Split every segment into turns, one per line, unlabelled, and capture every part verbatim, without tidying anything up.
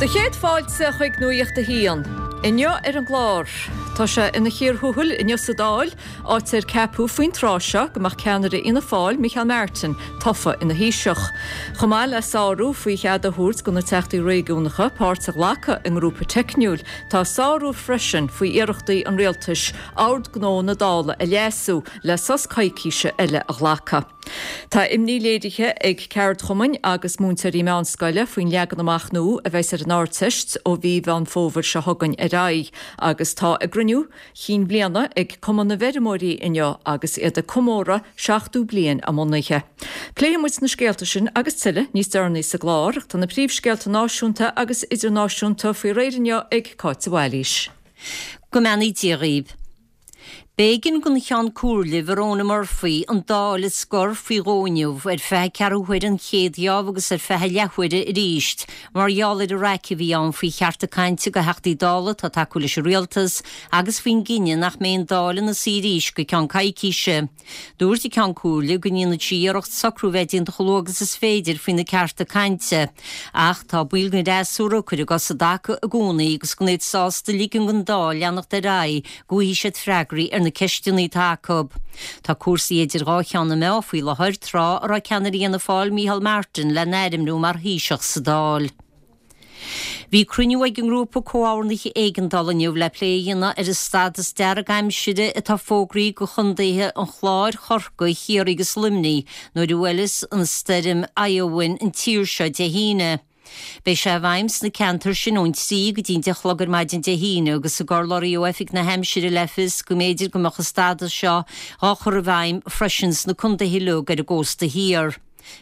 Do chéad fáilte chuig Nuacht a hAon. Inniu ar an gclár. Tá sé ina chíor thuathail inniu sa Dáil, áit ar ceapadh faoin tráth seo go mbeadh ceannaire Fhianna Fáil Micheál Martin tofa ina Thaoiseach. Chomh maith le sárú faoi chead a thabhairt do na teachtaí réigiúnacha páirt a ghlacadh i ngrúpa teicniúil, tá sárú freisin faoi iarrachtaí an rialtais ord gnó na Dála a leasú le sos coicíse eile a ghlacadh. Tá imní léirithe ag ceardchumainn agus múinteoirí meánscoile faoin leagan amach nua a bheas ar an Ardteist ó mhí Mheán Fómhair seo chugainn ar aghaidh, agus tá a gcruinniú cinn bhliana ag Cumann na bhFeirmeoirí inniu agus iad ag comóradh seachtó bliain a mbunaithe. Pléifidh muid na scéalta sin agus tuilleadh níos deireanaí sa gclár, tá na príomhscéalta náisiúnta agus idirnáisiúnta faoi réir inniu ag Cáit de Bhailís.
Go mbeannaí Dia dhaoibh. B'éigean don Cheann Comhairle Verona Murphy an Dáil a scor faoi dhó inniu ar feadh ceathrú huaire an chéad gheábh agus ar feadh leathuaire arís mar gheall ar an raic a bhí ann faoi chearta cainte do Theachtaí Dála atá ag tacú leis an rialtas agus faoin gcinneadh nach mbeidh an Dáil ina suí arís go ceann coicíse. Dúirt an Ceann Comhairle go ndéanfaidh sí iarracht socrú bheith déanta chomh luath agus is féidir faoi na cearta cainte, ach tá baill den fhreasúra ag cur a gcos i dtaca i gcónaí agus gan iad sásta ligean don Dáil leanacht ar aghaidh go bhfaighidh siad freagraí ar na ceisteanna atá acu. Tá cúrsaí idir dhá cheann na meá faoi láthair tráth a raibh ceannaire Fhianna Fáil Micheál Martin le n-ainmniú mar Thaoiseach sa Dáil. Bhí cruinniú ag an ngrúpa comhordnaithe éigeandála inniu le plé a dhéanamh ar an stádas dearg aimsire atá fógraithe do chontaetha an Chláir, Chorcaí, Chiarraí agus Luimnigh nuair a bhuailfeas an stoirm Éowyn an tír seo Dé hAoine. Beidh sé i bhfeidhm sna ceantair sin ón trí go dtí an deich a chlog ar maidin Dé hAoine agus ag urlabhraí ó Oifig na hAimsire le fios go mb'fhéidir go mbeadh an stádas seo á chur i bhfeidhm freisin sna contaetha uilig ar an gcósta thiar.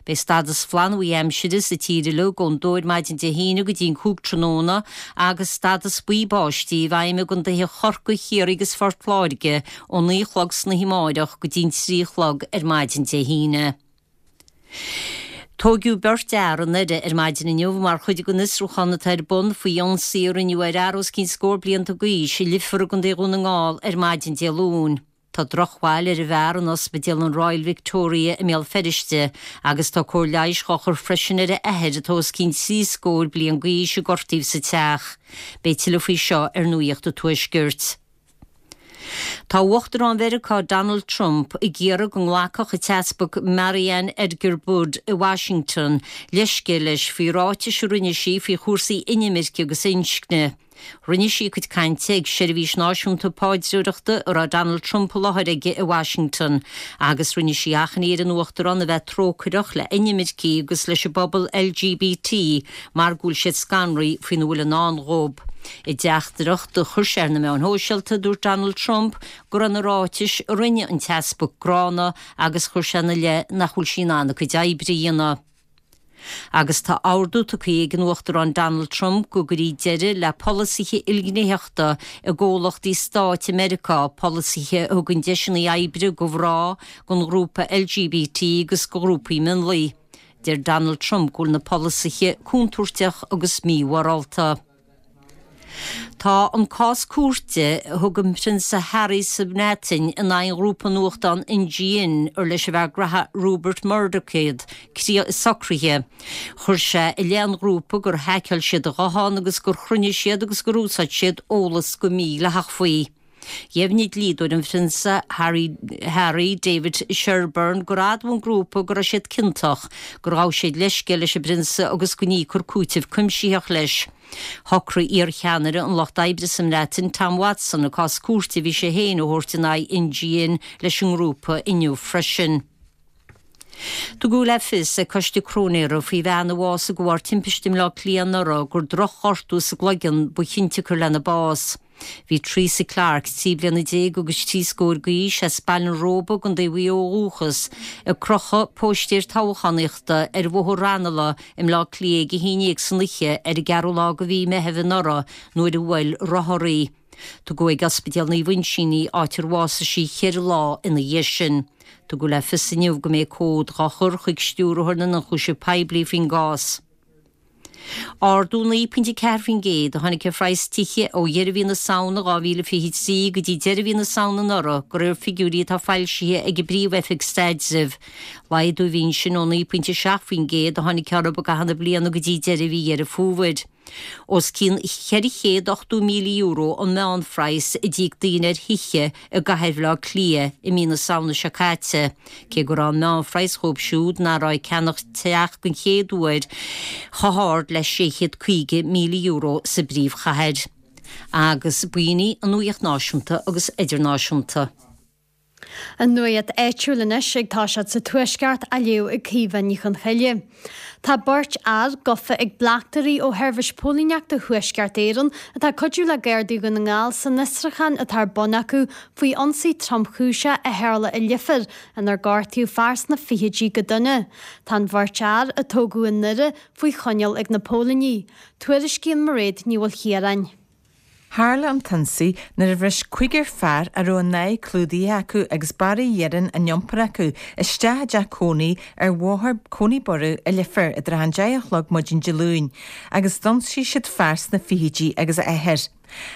Beidh stádas flannbhuí aimsire sa tír uilig ón dó ar maidin Dé hAoine go dtí an cúig tráthnóna agus stádas buí báistí i bhfeidhm i gcontaetha Chorcaí, Chiarraí agus Phort Láirge ó naoi a chlog san oíche amárach go dtí an trí a chlog ar maidin Dé hAoine. Tóigeadh beirt fhear i nDoire ar maidin inniu mar chuid den fhiosrúchán atá ar bun faoi ionsaí a rinneadh ar fhear os cionn scór blianta d'aois i Leifear i gContae Dhún na nGall ar maidin Dé Luain. Tá drochbhail ar an bhfear in ospidéal an Royal Victoria i mBéal Feirste agus tá cóir leighis á chur freisin ar a athair atá os cionn trí scór bliain d'aois a gortaíodh sa teach. Beidh tuilleadh faoi seo ar Nuacht an Tuaiscirt. Tá Uachtarán Mheiriceá Donald Trump ag iarraidh go nglacfadh an tEaspag Mariann Edgar Budde i Washington leithscéal leis faoi ráitis a rinne sí faoi chúrsaí inimirce agus inscne. Rinne sí cuid cainte ag seirbhís náisiúnta paidreoireachta a raibh Donald Trump i láthair aige i Washington, agus rinne sí achainí ar an Uachtarán a bheith trócaireach le inimircigh agus leis an bpobal LGBT mar go bhfuil siad scanraithe faoina bhfuil i ndán dóibh. I dteachtaireacht a chuir sé ar na meáin shóisialta, dúirt Donald Trump go raibh na ráitis a rinne an tEaspag gránna agus chuir sé ina leith nach bhfuil sí in ann a cuid oibre a dhéanamh. Agus tá ordú tugtha ag an Uachtarán Donald Trump go gcuirfí deireadh le polasaithe ilghnéitheachta i gcomhlachtaí stáit i Meiriceá, polasaithe a thugann deiseanna oibre do mhná, don ghrúpa LGBT agus do ghrúpaí mionlaigh. Deir Donald Trump go bhfuil na polasaithe contúirteach agus mímhorálta. Tá an cás cúirte a thug an Prionsa Harry sa mBreatain in aghaidh an ghrúpa nuachtán NGN ar leis an bhfear graithe Rupert Murdoch iad, socraithe. Chuir sé i leith an ghrúpa gur haiceáil siad a ghuthán agus gur chruinnigh siad agus gur úsáid siad eolas go mídhleathach faoi. Dheimhnigh dlíodóir an Phrionsa Harry, Harry David Sherburne gur admhaigh an grúpa go raibh siad ciontach, gur ghabh siad leithscéal leis an bPrionsa agus go n-íocfar cúiteamh cuimsitheach leis. Shocraigh iar-cheannaire an Lucht Oibre sa mBreatain, Tom Watson, an cás cúirte a bhí sé féin a thabhairt in aghaidh NGN leis an ngrúpa inniu freisin. Tugadh le fios ag Coiste Cróinéara faoi bhean a bhásaigh de bharr timpiste i mBleá Cliath anuraidh gur drochghortú sa gcloigeann ba chionsiocair lena bás. Bhí Teresa Clarke, trí bliana déag agus trí scór d'aois, as Baile an Róba i gContae Mhaigh Eo ó dhúchas, ag crochadh póistéir toghchánaíochta ar Bhóthar Ranelagh i mBleá Cliath ag a haon déag san oíche ar an gceathrú lá de mhí Meitheamh anuraidh nuair a bhuail rothar í. Tugadh ag Ospidéal Naomh Uinseann í, áit ar bhásaigh sí ceithre lá ina dhiaidh sin. Tugadh le fios inniu go mbeidh comhad dhá chur chuig Stiúrthóir na nIonchúiseamh Poiblí faoin gcás. Ardú naoi pointe ceathair faoin gcéad a tháinig ar phraghas tithe ó dheireadh mhí na Samhna dhá mhíle fiche trí go dtí deireadh mhí na Samhna anuraidh, de réir figiúirí atá foilsithe ag an bPríomh-Oifig Staidrimh. Laghdú a bhí ansin ó naoi pointe seacht faoin gcéad a tháinig orthu i gcaitheamh na bliana go dtí deireadh mhí Dheireadh Fómhair. Os cionn ceithre chéad ochtó míle euro an meánphraghas a d'íoc daoine ar thithe i gcathair Bhaile Átha Cliath i mí na Samhna seo caite, cé go raibh an meánphraghas dhóibh siúd nach raibh ag ceannach teach den chéad uair chomh hard le sé chéad caoga míle euro sa bpríomhchathair. Agus b'in í an nuacht náisiúnta agus idirnáisiúnta.
An nuacht áitiúil anois ag toiseacht sa Tuaisceart á léamh ag Caoimhe Ní Chonchoille. Tá beirt fhear gafa ag bleachtairí ó Sheirbhís Póilíneachta Thuaisceart Éireann atá ag cuidiú le Gardaí Dhún na nGall san fhiosrúchán atá ar bun acu faoi ionsaí tromchúiseach a tharla i Leifear inar gortaíodh fear sna fichidí go dona. Tá an bheirt fhear, a tógadh i nDoire, faoi choinneáil ag na póilíní. Tuairiscíonn Mairéad Ní Mhaoilchiaráin.
Tharla an t-ionsaí nuair a bhris cúigear fear a raibh a n-aghaidh clúdaithe acu agus barraí iarainn á n-iompar acu isteach i dteach cónaí ar Bhóthar Coneyburrow i Leifear i dtrátha an deich a chlog maidin Dé Luain agus d'ionsaigh siad fear sna fichidí agus a athair.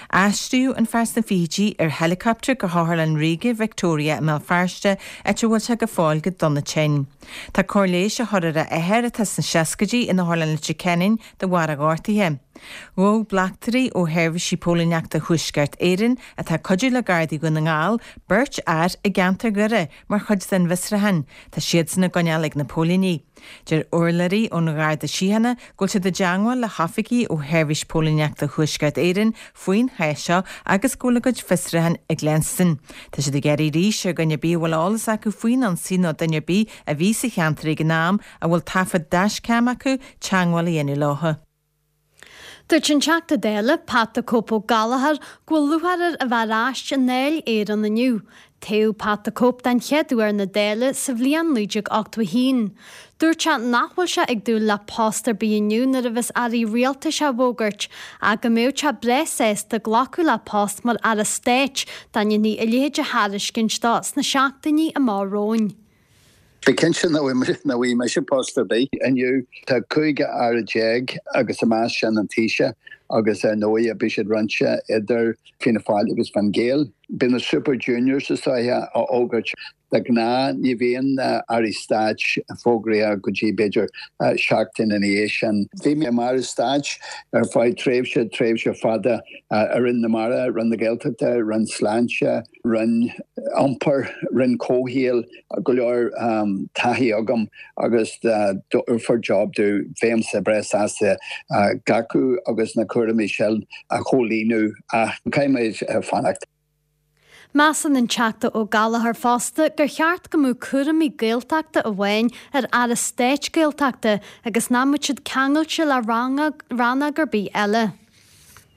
Aistríodh an fear sna fichidí ar heileacaptar go hOtharlann Ríoga Victoria i mBéal Feirste, áit a bhfuil sé go fóill go dona tinn. Tá cóir leighis á chur ar a athair atá sna seascaidí in Otharlann Leitir Ceanainn de bharr a ghortaithe. Ghabh bleachtairí ó Sheirbhísí Póilíneachta Thuaisceart Éireann, atá ag cuidiú le Gardaí Dhún na nGall, beirt fhear i gceantar Dhoire mar chuid den bhfiosrúchán. Tá siadsan á gcoinneáil ag na póilíní. Deir urlabhraí ón Gharda Síochána go bhfuil siad i dteagmháil le hoifigigh ó Sheirbhís Póilíneachta Thuaisceart Éireann faoin chás seo agus go bhfuil a gcuid fiosrúchán ag leanstan. Tá siad ag iarraidh arís ar dhuine ar bith a bhfuil eolas acu faoin ionsaí nó duine ar bith a bhí sa cheantar ag an am a bhfuil taifead dashcam acu teagmháil a dhéanamh leo.
Dúirt an Teachta Dála, Pat the Cope Ó Gallchóir, go bhfuil lúcháir air a bheith ar ais i nDáil Éireann inniu. Toghadh Pat the Cope den chéad uair na Dála sa bhliain naoi déag ochtó a haon. Dúirt sé nach bhfuil sé ag dúil le post ar bith inniu nuair a bheas airí rialtais á bhfógairt, ach go mbeadh sé breá sásta glacadh le post mar Aire Stáit dá ndéanfaí a leithéid de thairiscint dó sna seachtainí amach romhainn.
Bí cinnte nach bhfaighidh mise post ar bith inniu. Tá cúig aire déag agus i measc sin an Taoiseach agus ar ndóigh beidh siad roinnte idir Fianna Fáil agus Fine Gael. Beidh na Super Juniors is dóiche á fhógairt. De ghnáth ní bhíonn airí stáit fógraithe go dtí b'fhéidir seachtain ina dhiaidh sin. Bhí mé mar aire stáit ar feadh tréimhse, tréimhse fada i Roinn na Mara, Roinn na Gaeltachta, Roinn Sláinte, Roinn Iompair, Roinn Comhshaoil, go leor taithí agam agus dá dtabharfar job domh bheinnse breá sásta glacadh agus na cúraimí sin a chomhlíonadh ach caithfidh mé fanacht.
Measann an Teachta Ó Gallchóir fosta gur cheart go mbeadh cúraimí Gaeltachta amháin ar Aire Stáit Gaeltachta agus nach mbeadh siad ceangailte le rannóg ar bith eile.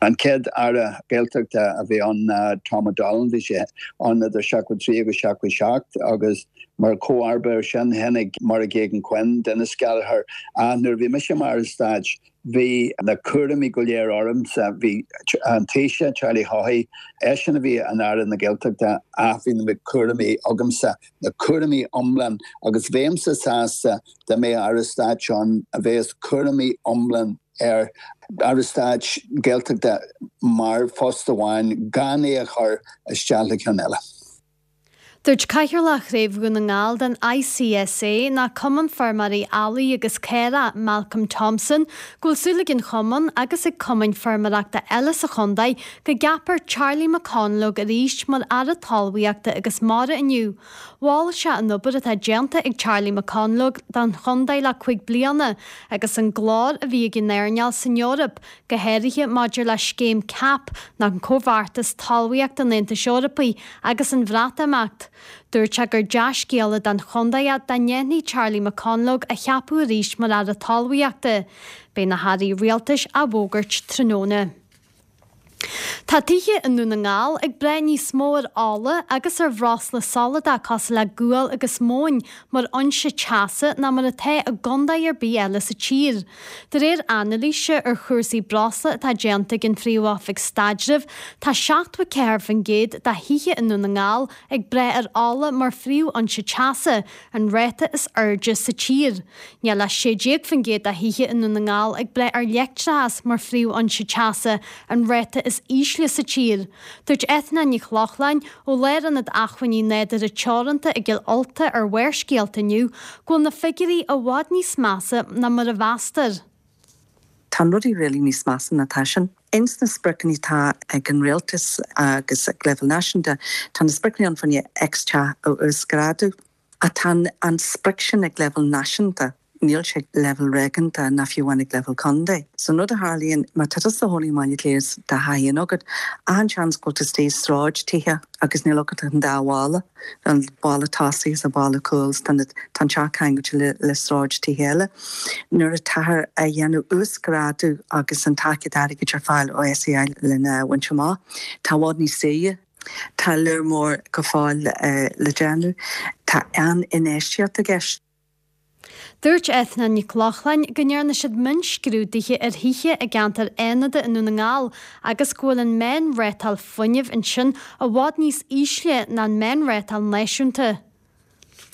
An chéad Aire Gaeltachta a bhí ann ná Tom O'Donnell, bhí sé ann idir seachtó trí agus seachtó seacht agus mar chomharba air sin tháinig Máire Geoghegan-Quinn, Denis Gallagher. Ach nuair a bhí mise mar Aire Stáit bhí na cúraimí go léir ormsa, bhí an Taoiseach, Charlie Haughey, eisean a bhí ina Aire na Gaeltachta ach bhí na cúraimí agamsa, na cúraimí iomlán agus bheinnse sásta dá mbeadh Aire Stáit ann a bheas cúraimí iomlán ar Aire Stáit Gaeltachta mar phost amháin gan é a chur isteach le ceann eile.
Dúirt Cathaoirleach Chraobh Dhún na nGall den ICSA, ná Cumann Feirmeoirí Eallaigh agus Caorach, Malcolm Thompson, go bhfuil súil ag an chumann agus ag cumainn feirmeoireachta eile sa chontae go gceapfar Charlie McConalogue arís mar Aire Talmhaíochta agus Mara inniu. Mhol sé an obair atá déanta ag Charlie McConalogue don chontae le cúig bliana agus an glór a bhí ag an earnáil san Eoraip, go háirithe maidir le scéim CAP, ná an Comhbheartas Talmhaíochta an Aontais Eorpaigh, agus an Bhreatimeacht. Dúirt sé gur dea-scéala don chontae é dá ndéanfaí Charlie McConalogue a cheapadh arís mar Aire Talmhaíochta. Beidh na hairí rialtais á bhfógairt tráthnóna. Tá tithe i nDún na nGall ag brath níos mó ar ola agus ar bhreosla soladach cosúil le gual agus móin mar fhoinse teasa ná mar atá i gcontae ar bith eile sa tír. De réir anailíse ar chúrsaí breosla atá déanta ag an Phríomh-Oifig Staidrimh, tá seachtó a ceathair faoin gcéad de thithe i nDún na nGall ag brath ar ola mar phríomhfhoinse teasa, an ráta is airde sa tír. Níl ach sé déag faoin gcéad de thithe i nDún na nGall ag brath ar leictreachas mar phríomhfhoinse teasa, an ráta is ísle sa tír. Dúirt Eithne Nic Lochlainn ó Lárionad Acmhainní Nádúrtha Teoranta i gCill Ulta ar Bharrscéalta inniu go bhfuil na figiúirí i bhfad níos measa ná mar a mheastar.
Tá rudaí really níos measa ná tá sin. Ins na spriocanna atá ag an rialtas agus ag leibhéal náisiúnta tá na spriocanna ann fá choinne X teach a uasghrádú ach tá an sprioc sin ag leibhéal náisiúnta. Níl sé leibhéal réigiúnda ná fiú amháin ag leibhéal contae. So rud a tharlaíonn má tá tusa i do chónaí i mBaile Átha Cliath tá tithe agat, an-seans go bhfuil tú istigh i sráid tithe agus níl agat ach an dá bhalla, an balla tosaigh is an balla cúil tá an teach ceangailte le, le sráid tithe eile. Nuair atáthar a dhéanamh uasghrádú agus an tacaíocht airgid ar fáil ó SEAI lena bhaint amach, tá i bhfad níos saoire. Tá lear mór go fóill le déanamh. Tá an-infheistíocht i gceist.
Dúirt Eithne Nic Lochlainn go ndearna siad mionscrúduithe ar thithe i gceantar Fhánada i nDún na nGall agus go bhfuil an meánrátáil fuinnimh ansin i bhfad níos ísle ná an meánrátáil náisiúnta.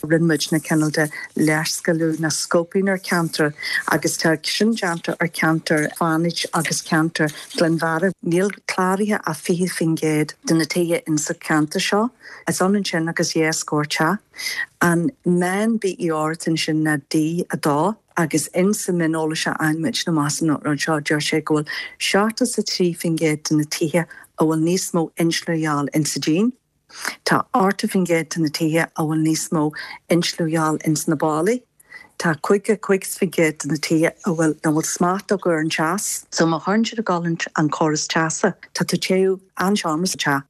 Rinne muid na cineál de léarscáiliú na scoping ar ceantar agus tá sin déanta ar ceantar Fánaid agus ceantar Ghleann Bheatha. Níl cláraithe ach fiche faoin gcéad de na tithe insa ceantar seo. Is ionann sin agus dhá scór teach. An meán BER ansin ná D a dó agus insa mhioneolas a fhaigheann muid amach as an rud seo deir sé go bhfuil seachtó is a trí faoin gcéad de na tithe a bhfuil níos mó insliú a dhíobháil insa díon. Tá ochtó faoin gcéad de na tithe a bhfuil níos mó insliú a dhíobháil ins na ballaí. Tá caoga cúig faoin gcéad de na tithe a bhfuil nach bhfuil smacht acu ar an teas. So má chuireann siad ag dul an córas teasa, tá tú téamh an seomra sa teach.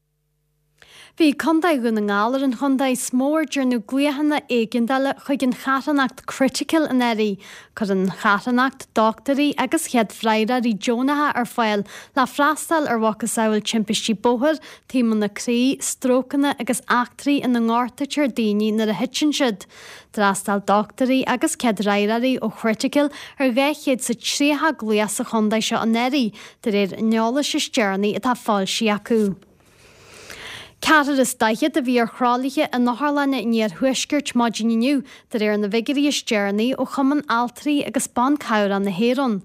Bhí Contae Dhún na nGall ar an chontae is mó ar dearnadh glaochanna éigeandála chuig an charthanacht Critical anuraidh. Cuireann an charthanacht dochtúirí agus chéad freagróirí deonacha ar fáil le freastal ar mhacasamhail timpistí bóthair, taomanna croí, strócanna agus eachtraí ina ngortaítear daoine nuair a thiteann siad. D'fhreastail dochtúirí agus céad fhreagróirí ó Critical ar dhá chéad is a tríocha glaoch sa chontae seo anuraidh, de réir an eolais is deireanaí atá foilsithe acu. Ceathrar is daichead a bhí ar thralaithe in otharlanna an iarthuaiscirt maidin inniu, de réir na bhfigiúirí is deireanaí ó Chumann Altraí agus Ban Cabhrach na hÉireann.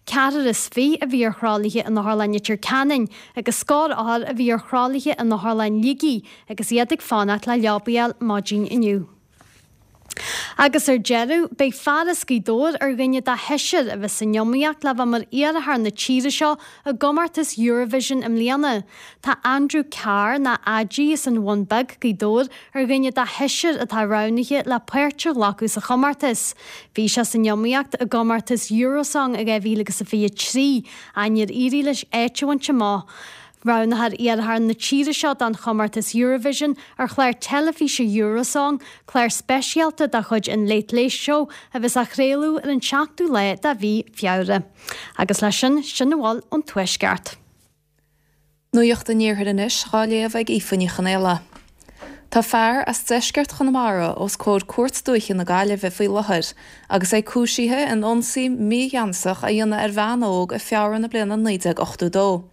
Ceathrar is fiche a bhí ar thralaithe in Otharlann Leitir Ceanainn agus scór othar a bhí ar thralaithe in Otharlann Shligigh agus iad ag fanacht le leabaí a fháil maidin inniu. Agus ar deireadh, beidh fear as Gaoth Dobhair ar dhuine de sheisear a bheas san iomaíocht le bheith mar iarrthóir na tíre seo i gcomórtas Eurovision i mbliana. Tá Andrew Carr, nó Adi as an Bhun Beag, Gaoth Dobhair, ar dhuine de sheisear atá roghnaithe le páirt a ghlacadh sa chomórtas. Bhí sé san iomaíocht i gcomórtas Eurosong i dhá mhíle agus a fiche trí, ach níor éirigh leis áit a bhaint amach. Roghnófar iarrthóir na tíre seo don chomórtas Eurovision ar chlár teilifíse Eurosong, clár speisialta de chuid an Late Late Show a bheas á chraoladh ar an seachtú lá de mhí Feabhra. Agus leis sin, sin a bhfuil ón Tuaisceart.
Nuacht an Iarthair anois dhá léamh ag Aoife Ní Chonaola. Tá fear as deisceart Chonamara os comhair Cúirt Dúiche na Gaillimhe faoi láthair agus é cúisithe in ionsaí mígheansach a dhéanamh ar bhean óg i Feabhra na bliana naoi déag ochtó dó.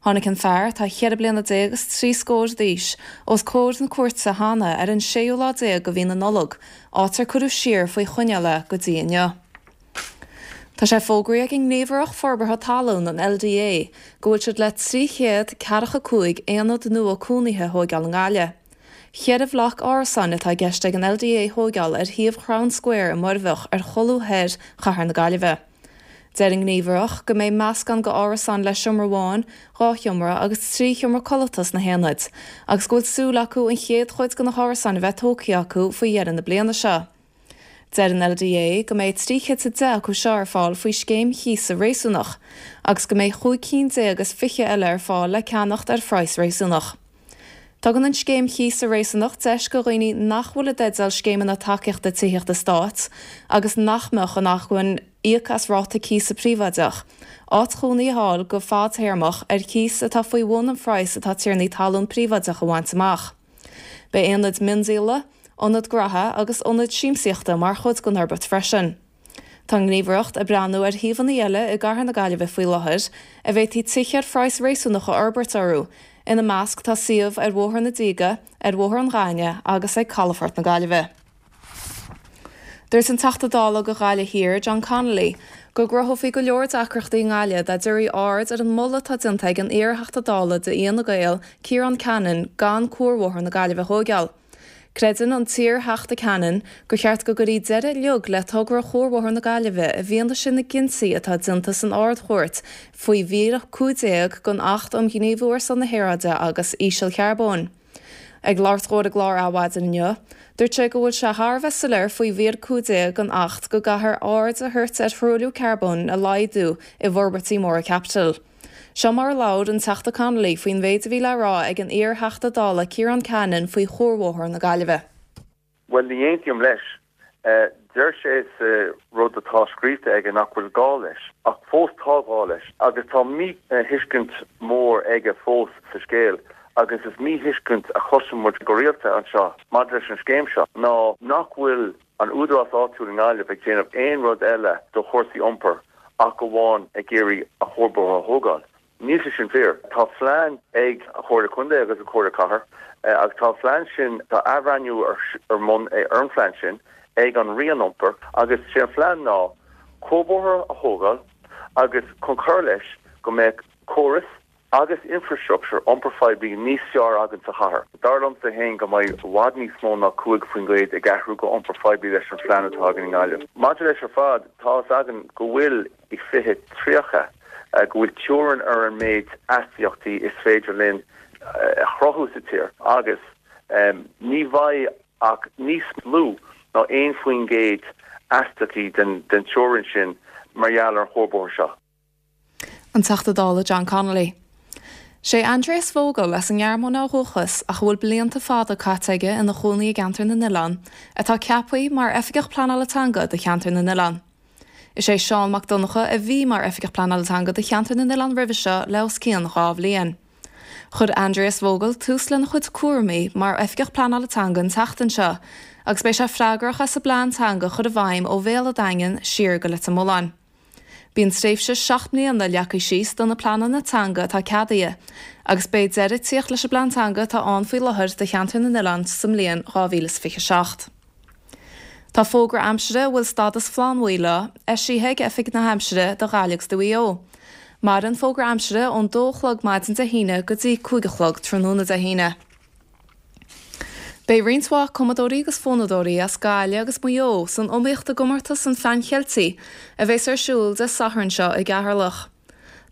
Tháinig an fear, atá cheithre bliana déag is trí scór d'aois, os comhair na cúirte cheana ar an séú lá déag de mhí na Nollag, áit ar cuireadh siar faoi choinneáil é go dtí inniu. Tá sé fógraithe ag an nGníomhaireacht Forbartha Talún, an LDA, go bhfuil siad le trí chéad ceathracha cúig aonad nua cónaithe a thóigeáil i nGaillimh. Ceithre bhloc árasáin atá i gceist ag an LDA a thóigeáil ar shuíomh Chrown Square i Muirbheach ar cholbha thoir chathair na Gaillimhe. Deir an Ghníomhaireacht go mbeidh meascán de árasáin le seomra amháin, dhá sheomra agus trí sheomra codlata sna haonaid, agus go bhfuil súil acu an chéad chuid de na hárasáin a bheith tógtha acu faoi dheireadh na bliana seo. Deir an LDA go mbeidh trí chéad is a deich acu seo ar fáil faoi scéim chíosa réasúnach, agus go mbeidh chúig cinn déag is fiche eile ar fáil le ceannacht ar phraghas réasúnach. Tugann an scéim chíosa réasúnach deis do dhaoine nach bhfuil i dteideal scéimeanna tacaíochta tithíochta stáit agus nach mbeadh in acmhainn íoc as ráta cíosa príobháideach, áit chónaí a fháil go fadtéarmach ar chíos atá faoi bhun an phraghas atá tiarnaí talún príobháideach a bhaint amach. Beidh aonaid miondíola, ionad graithe agus ionad siamsaíochta mar chuid den fhorbairt freisin. Tá an Ghníomhaireacht ag breathnú ar shuíomhanna eile i gCathair na Gaillimhe faoi láthair a bhféadfaí tithe ar phraghas réasúnach a fhorbairt orthu, ina measc tá suíomh ar Bhóthar na Díge, ar Bhóthar an Ghainimh agus ag Calafort na Gaillimhe. Dúirt an Teachta Dála do Ghaillimh Thiar, John Connolly, go gcruthófaí go leor deacrachtaí i nGaillimh dá dtabharfaí aird ar an moladh atá déanta ag an iarTheachta Dála d'Fhianna Gael, Ciarán Cannon, gan Cuarbhóthar na Gaillimhe a thóigeáil. Creideann an t-iar-Theachta Cannon gur cheart go gcuirfí deireadh uilig le togra Chuarbhóthar na Gaillimhe i bhfianaise na gcinntí atá déanta san Ard-Chúirt faoi mhír a cúig déag den Acht um Ghníomhú ar son na hAeráide agus Ísealcharbóin. Ag labhairt dó ar an gclár Adhmhaidin inniu, dúirt sé go bhfuil sé thar a bheith soiléir faoi mhír a cúig déag den Acht go gcaithfear aird a thabhairt ar thruailliú carbóin a laghdú i bhforbairtí móra caipitil. Seo mar a labhair an Teachta Connolly faoin mhéid a bhí le rá ag an iar-Theachta Dála Ciarán Cannon faoi Chuarbhóthar na Gaillimhe.
Well ní aontaím leis. Deir sé sa rud atá scríofa aige nach bhfuil gá leis, ach fós tá gá leis, agus tá míthuiscint mór aige fós sa scéal, agus is míthuiscint a chloiseann muid go rialta anseo maidir leis an scéim seo ná nach bhfuil an údarás áitiúil i nGaillimh ag déanamh aon rud eile do chúrsaí iompair ach amháin ag iarraidh an cuarbhóthar a thógáil. Níl sé sin fíor. Tá plean ag an Chomhairle Contae agus an Chomhairle Cathair agus tá an plean sin, tá athbhreithniú ar ar bun ar an phlean sin ag an Roinn Iompair agus sé an plean ná cuarbhóthar a thógáil agus chun cur leis go mbeadh córas agus infrastructure iompair phoiblí níos fearr againn sa chathair. Dar liomsa féin go mbeidh i bhfad níos mó ná cúig faoin gcéad ag athrú go iompar poiblí leis an phlean atá againn i nGaillimh. Maidir leis ar fad, tá fhios againn go bhfuil i fiche tríocha go bhfuil teorainn ar an méid astaíochtaí is féidir linn a chruthú sa tír agus ní bheidh ach níos lú ná aon faoin gcéad astaíochtaí den teorainn sin mar gheall ar an chuarbhóthar seo.
An Teachta Dála John Connolly. Sé Andreas Vogel as an nGearmáin ó dhúchas ach a bhfuil blianta fada caite aige ina chónaí i gCeantar na nOileán, atá ceaptha mar Oifigeach Pleanála Teanga do Cheantar na nOileán. Is é Seán Mac Donncha a bhí mar Oifigeach Pleanála Teanga do Cheantar na nOileán roimhe seo le os cionn dhá bhliain. Chuir Andreas Vogel tús lena chuid cúraimí mar Oifigeach Pleanála Teanga an tseachtain seo, agus beidh sé freagrach as an bplean teanga a chur i bhfeidhm ó Bhéal an Daingin siar go Leitir Mealláin. Bíonn tréimhse seacht mbliana leagtha síos do na pleananna teanga atá ceadaithe, agus beidh deireadh ag tíocht leis an bplean teanga atá ann faoi láthair do Cheantar na nOileán sa mbliain dhá mhíle is fiche a seacht. Tá fógra aimsire a bhfuil stádas flannbhuí leo eisithe ag Oifig na hAimsire do Ghaillimh agus do Mhaigh Eo. Maireann an fógra aimsire ón dó a chlog maidin Dé hAoine go dtí cúig a chlog tráthnóna Dé hAoine. Beidh roinnt mhaith cumadóirí agus fonnadóirí as Gaillimh agus Maigh Eo san iomaíocht i gcomórtas an Phean Cheiltigh a bheas ar siúl Dé Sathairn seo i gCeatharlach.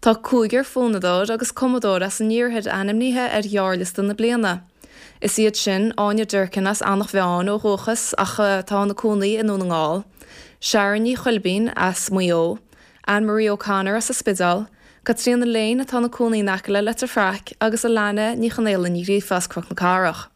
Tá cúigear fonnadóir agus cumadóir as an iarthar ainmnithe ar ghearrliosta na bliana. Is iad sin, Áine Durkin as Eanach Mheáin ó dhúchas ach atá ina cónaí i nDún na nGall, Sharon Ní Chuilbín as Maigh Eo, Anne Marie O'Connor as an Spidéal, Caitríona Lane atá ina cónaí in aice le Leitir Fraic agus Alana Ní Chonaola Ní Ghríofa as Cnoc na Cathrach.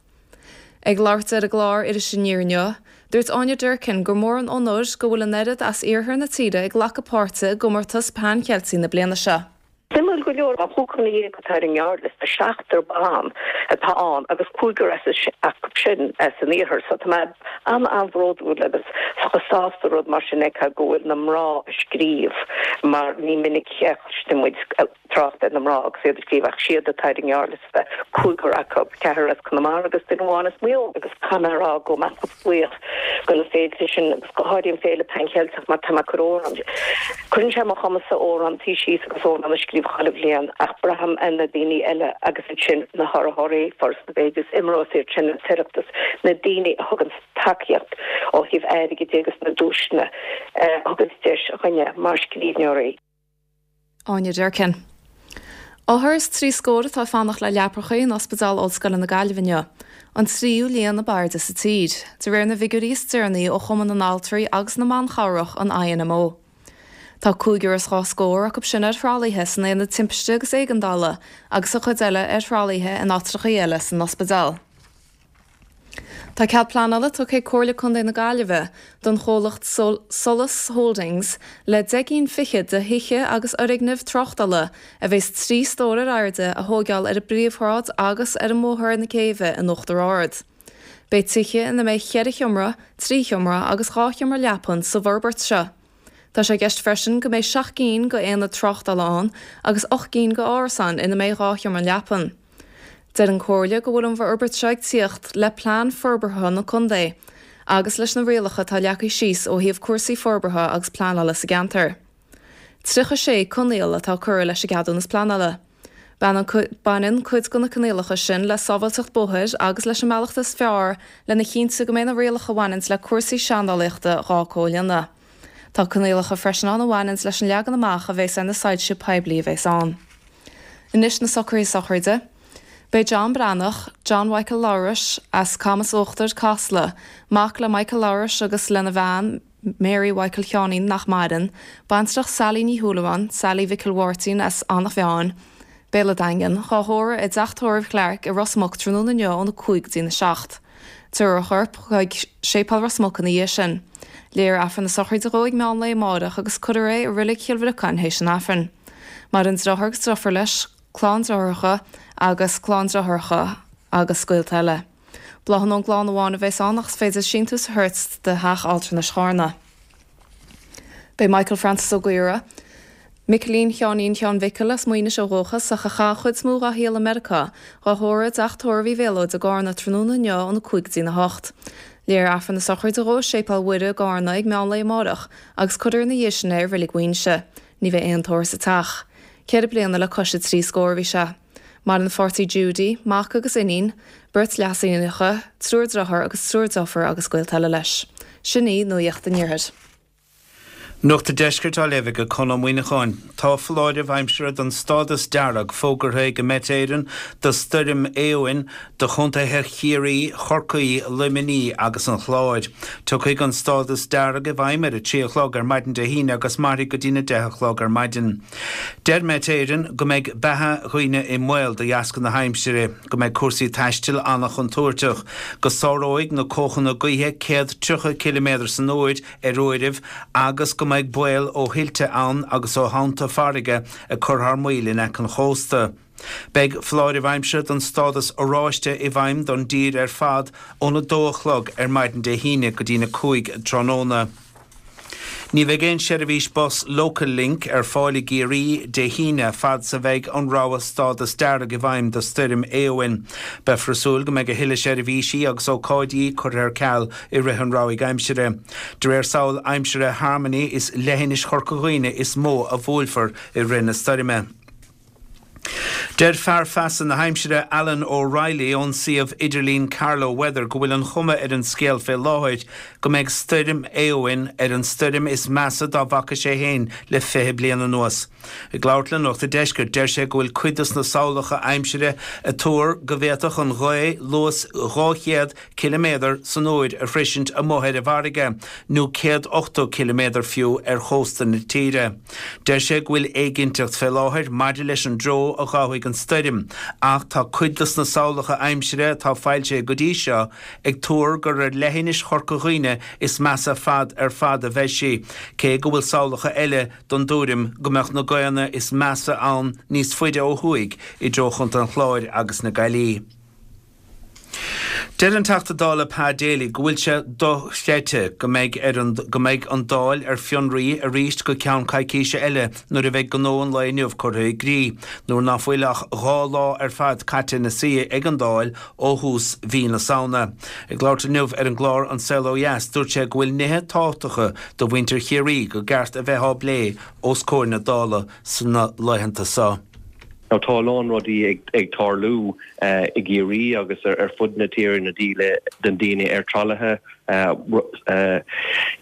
Ag labhairt ar an gclár Iris Aniar inniu, dúirt Áine Durkin gur mór an onóir go bhfuil an oiread as iarthar na tíre ag glacadh páirte i gcomórtas Pan Cheiltigh na bliana seo.
Suimiúil go leor, an chúigear déag atá ar an ngearrliosta, seachtar ban atá ann agus cúigear acu sin as an iarthar. So tá mé an-an-bhródúil agus sásta rud mar sin a fheiceáil go bhfuil na mná ag scríobh mar ní minic a chloisteann muid trácht ar na mná agus iad ag scríobh ach siad atá ar an ngearrliosta, cúigear acu, ceathrar as Conamara agus duine amháin as Maigh Eo. Agus caithfidh mé a rá go bhfuil mé chomh buíoch do na féilte sin agus go háirithe an Féile Pan Cheilteach mar tá mé ag cur amhrán, cuireann sé ar mo chumas-sa amhrántaí síos agus amhrán a scríobh chuile bhliain ach braithim ar na daoine eile agus ansin na hurraitheoirí, Foras na Gaeilge, IMRO is iad sin, an tOireachtas, na daoine a thugann tacaíocht ó thaobh airgid de agus na duaiseanna a thugann deis dhúinne mar scríbhneoirí.
Áine Durkin. Othar is trí scór atá ag fanacht le leapacha in Ospidéal Ollscoile na Gaillimhe inniu, an tríú líon ab airde sa tír, de réir na bhfigiúirí is deireanaí ó Chumann na nAltraí agus na mBan Chabhrach, an I N M O. Tá cúigear is dhá scór acu sin ar thralaithe san Aonad Timpiste agus Éigeandála agus an chuid eile ar thralaithe in áitreacha eile san ospidéal. Tá cead pleanála tugtha ag Comhairle Contae na Gaillimhe don chomhlacht Solas Holdings le deich gcinn fichead de thithe agus fhoirgnimh tráchtála a bheas trí stór ar airde a thógáil ar an bPríomhshráid agus ar an mBóthar na Céibhe in Uachtar Ard. Beidh tithe ina mbeidh ceithre sheomra, trí sheomra agus dhá sheomra leapan sa bhforbairt seo. Tá sé i gceist freisin go mbeidh seacht gcinn de aonaid tráchtála ann agus ocht gcinn de árasáin ina mbeidh dhá sheomra leapan. Deir an Chomhairle go bhfuil an fhorbairt seo ag tíocht le plean forbartha na contae agus leis na rialacha atá leagtha síos ó thaobh cúrsaí forbartha agus pleanála sa gceantar. Tríocha sé coinníoll atá curtha leis an gceadúnas pleanála. Baineann cuid de na coinníollacha sin le sábháilteacht bóthair agus leis an mbealach is fearr lena chinntiú go mbeidh na rialacha a bhaineanns le cúrsaí seandálaíochta dhá comhlíonadh. Tá coinníollacha freisin ann a bhaineanns leis an leagan amach a bheas ar na soilse poiblí a bheas ann. Anois na socruithe sochraide. Beidh John Breathnach, John Mhichael Labhrais as Camas Uachtar Casla, mac le Michael Labhrais agus lena bhean Mary Mhichael Sheáinín nach maireann, baintreach Sally Ní Shúilleabháin, Sally Mhicil Mháirtín as Eanach Mheáin, Béal an Daingin, dhá thórramh i dteach tórraimh Chlarke i Ros Muc tráthnóna inniu óna cúig go dtína seacht. Tabharfar a chorp chuig Séipéal Ros Muc ina dhiaidh sin. Léifear Aifreann na sochraide dhó ag meán lae amárach agus cuirfear é i Reilig Chill Bhriocáin théis an Aifrinn. Maireann deartháir agus deirfiúr leis, clann deartháireacha agus clann deartháireacha agus gaolta eile. Bláthanna ón gclann amháin a bheas ann ach is féidir síntiús a thabhairt do theach altranais Charna. Beidh Michael Francis Ó Gaora, Micilín Sheáinín Sheáin Mhicil as Maínis ó dhúchas ach a chaith an chuid is mó dá shaol i Meiriceá, dhá thórramh i dteach tórraimh Uí Mhéalóid i gCarna tráthnóna inniu óna cúig go dtína hocht. Léifear Aifreann na sochraide dhó i Séipéal Mhuire i gCarna ag meán lae amárach agus cuirfear ina dhiaidh sin é i Reilig Mhaínse. Ní bheidh aon tórramh sa teach. Ceithre bliana le cois a trí scór a bhí sé. Maireann a pháirtí Judy, mac agus iníon, beirt leas-iníonacha, triúr dearthár agus triúr deirfiúr agus gaolta eile leis. Sin í Nuacht an Iarthair.
Nuacht an Deiscirt á léamh ag Conn Ó Muíneacháin. Tá foláireamh aimsire don stádas dearg fógartha ag Met Éireann do stoirm Éowyn do chontaetha Chiarraí, Chorcaí, Luimnigh agus an Chláir. Tiocfaidh an stádas dearg i bhfeidhm ar a trí a chlog ar maidin Dé hAoine agus mairfidh go dtína deich a chlog ar maidin. Deir Met Éireann go mbeidh beatha dhaoine i mbaol de dheasca na haimsire, go mbeidh cúrsaí taistil an-chontúirteach, go sáróidh na cóchanna gaoithe céad tríocha ciliméadar san uair ar uairibh agus go mbeidh baol ó thuilte ann agus ó thonnta farraige ag cur thar maoil in aice an chósta. Beidh foláireamh aimsire don stádas oráiste i bhfeidhm don dtír ar fad óna dó a chlog ar maidin Dé hAoine go dtína cúig tráthnóna. Ní bheidh aon seirbhís bus Local Link ar fáil i gCiarraí Dé hAoine fad is a bheidh an rabhadh stádas dearg i bhfeidhm do stoirm Éowyn. Beifear ag súil go mbeidh a thuilleadh seirbhísí agus ócáidí curtha ar ceal i rith an rabhaidh aimsire. De réir samhail aimsire Harmony is leithinis Chorca Dhuibhne is mó a bhuailfear i rith na stoirme. Deir fear feasa na haimsire Alan O'Reilly ón suíomh idirlín Carlow Weather go bhfuil an chuma ar an scéal fé láthair go mbeidh stoirm Éowyn ar an stoirm is measa dá bhfaca sé féin le fiche bliain anuas. Ag labhairt le Nuacht an Deiscirt, deir sé go bhfuil cuid dos na samhlacha aimsire ag tuar go bhféadfadh an ghaoth luas dhá chéad ciliméadar san uair a shroisint amuigh ar an bhfarraige, nó céad ochtó ciliméadar fiú ar chósta na tíre. Deir sé go bhfuil éiginnteacht fé láthair maidir leis an dtreo a ghabhfaidh an stoirm, ach tá cuid dos na samhlacha aimsire atá foilsithe go dtí seo ag tuar gur ar leithinis Chorca Dhuibhne is measa fad ar fad a bheidh sí, cé go bhfuil samhlacha eile den dtuairim go mbeadh na gaothanna is measa ann níos faide ó thuaidh i dtreo Chontae an Chláir agus na Gaillimhe. Deir an Teachta Dála Pa Daly go bhfuil sé dochreidte go mbeidh ar an go mbeidh an Dáil ar fionraí arís go ceann coicíse eile nuair a bheidh gnó an lae inniu curtha i gcrích, nuair ná fuil ach dhá lá ar fad caite ina suí ag an Dáil ó thús mhí na Samhna. Ag labhairt inniu ar an gclár An Saol Ó Dheas, dúirt sé go bhfuil nithe tábhachtacha do mhuintir Chiarraí go gceart a bheith á bplé os comhair na Dála sna laethanta seo.
Now tá a lán rudaí ag tarlú i gCiarraí agus ar fud na tíre, na díle den daoine ar tralaithe,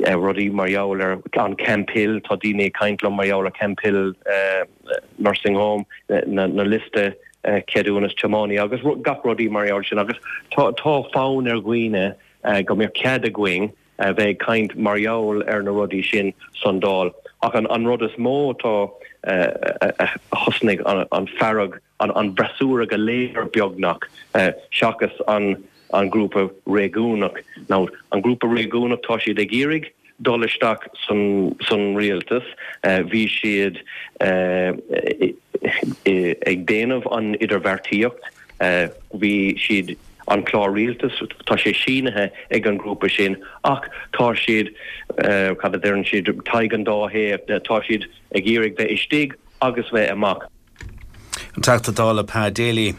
rudaí mar gheall ar an Camphill, tá daoine ag caint liom mar gheall ar Camphill Nursing Home, na liosta ceadúnas tiománaí agus gach rudaí mar gheall sin agus tá fonn ar dhaoine go mbeadh cead againn a bheith ag caint mar gheall ar na rudaí sin san Dáil. Ach an rud is mó atá a thosnaigh an fearg, an bhfreasúra go léir beagnach, seachas an an grúpa réigiúnach. Now, an grúpa réigiúnach tá siad ag iarraidh dul isteach san san rialtas, bhí siad ag déanamh an idirbheartaíocht, Bhí siad, an clár rialtais, tá sé sínithe ag an ngrúpa sin ach tá siad, cad a deireann siad, tadhg an dá thaobh, tá siad ag iarraidh bheith istigh agus bheith amach.
An Teachta Dála Pa Daly.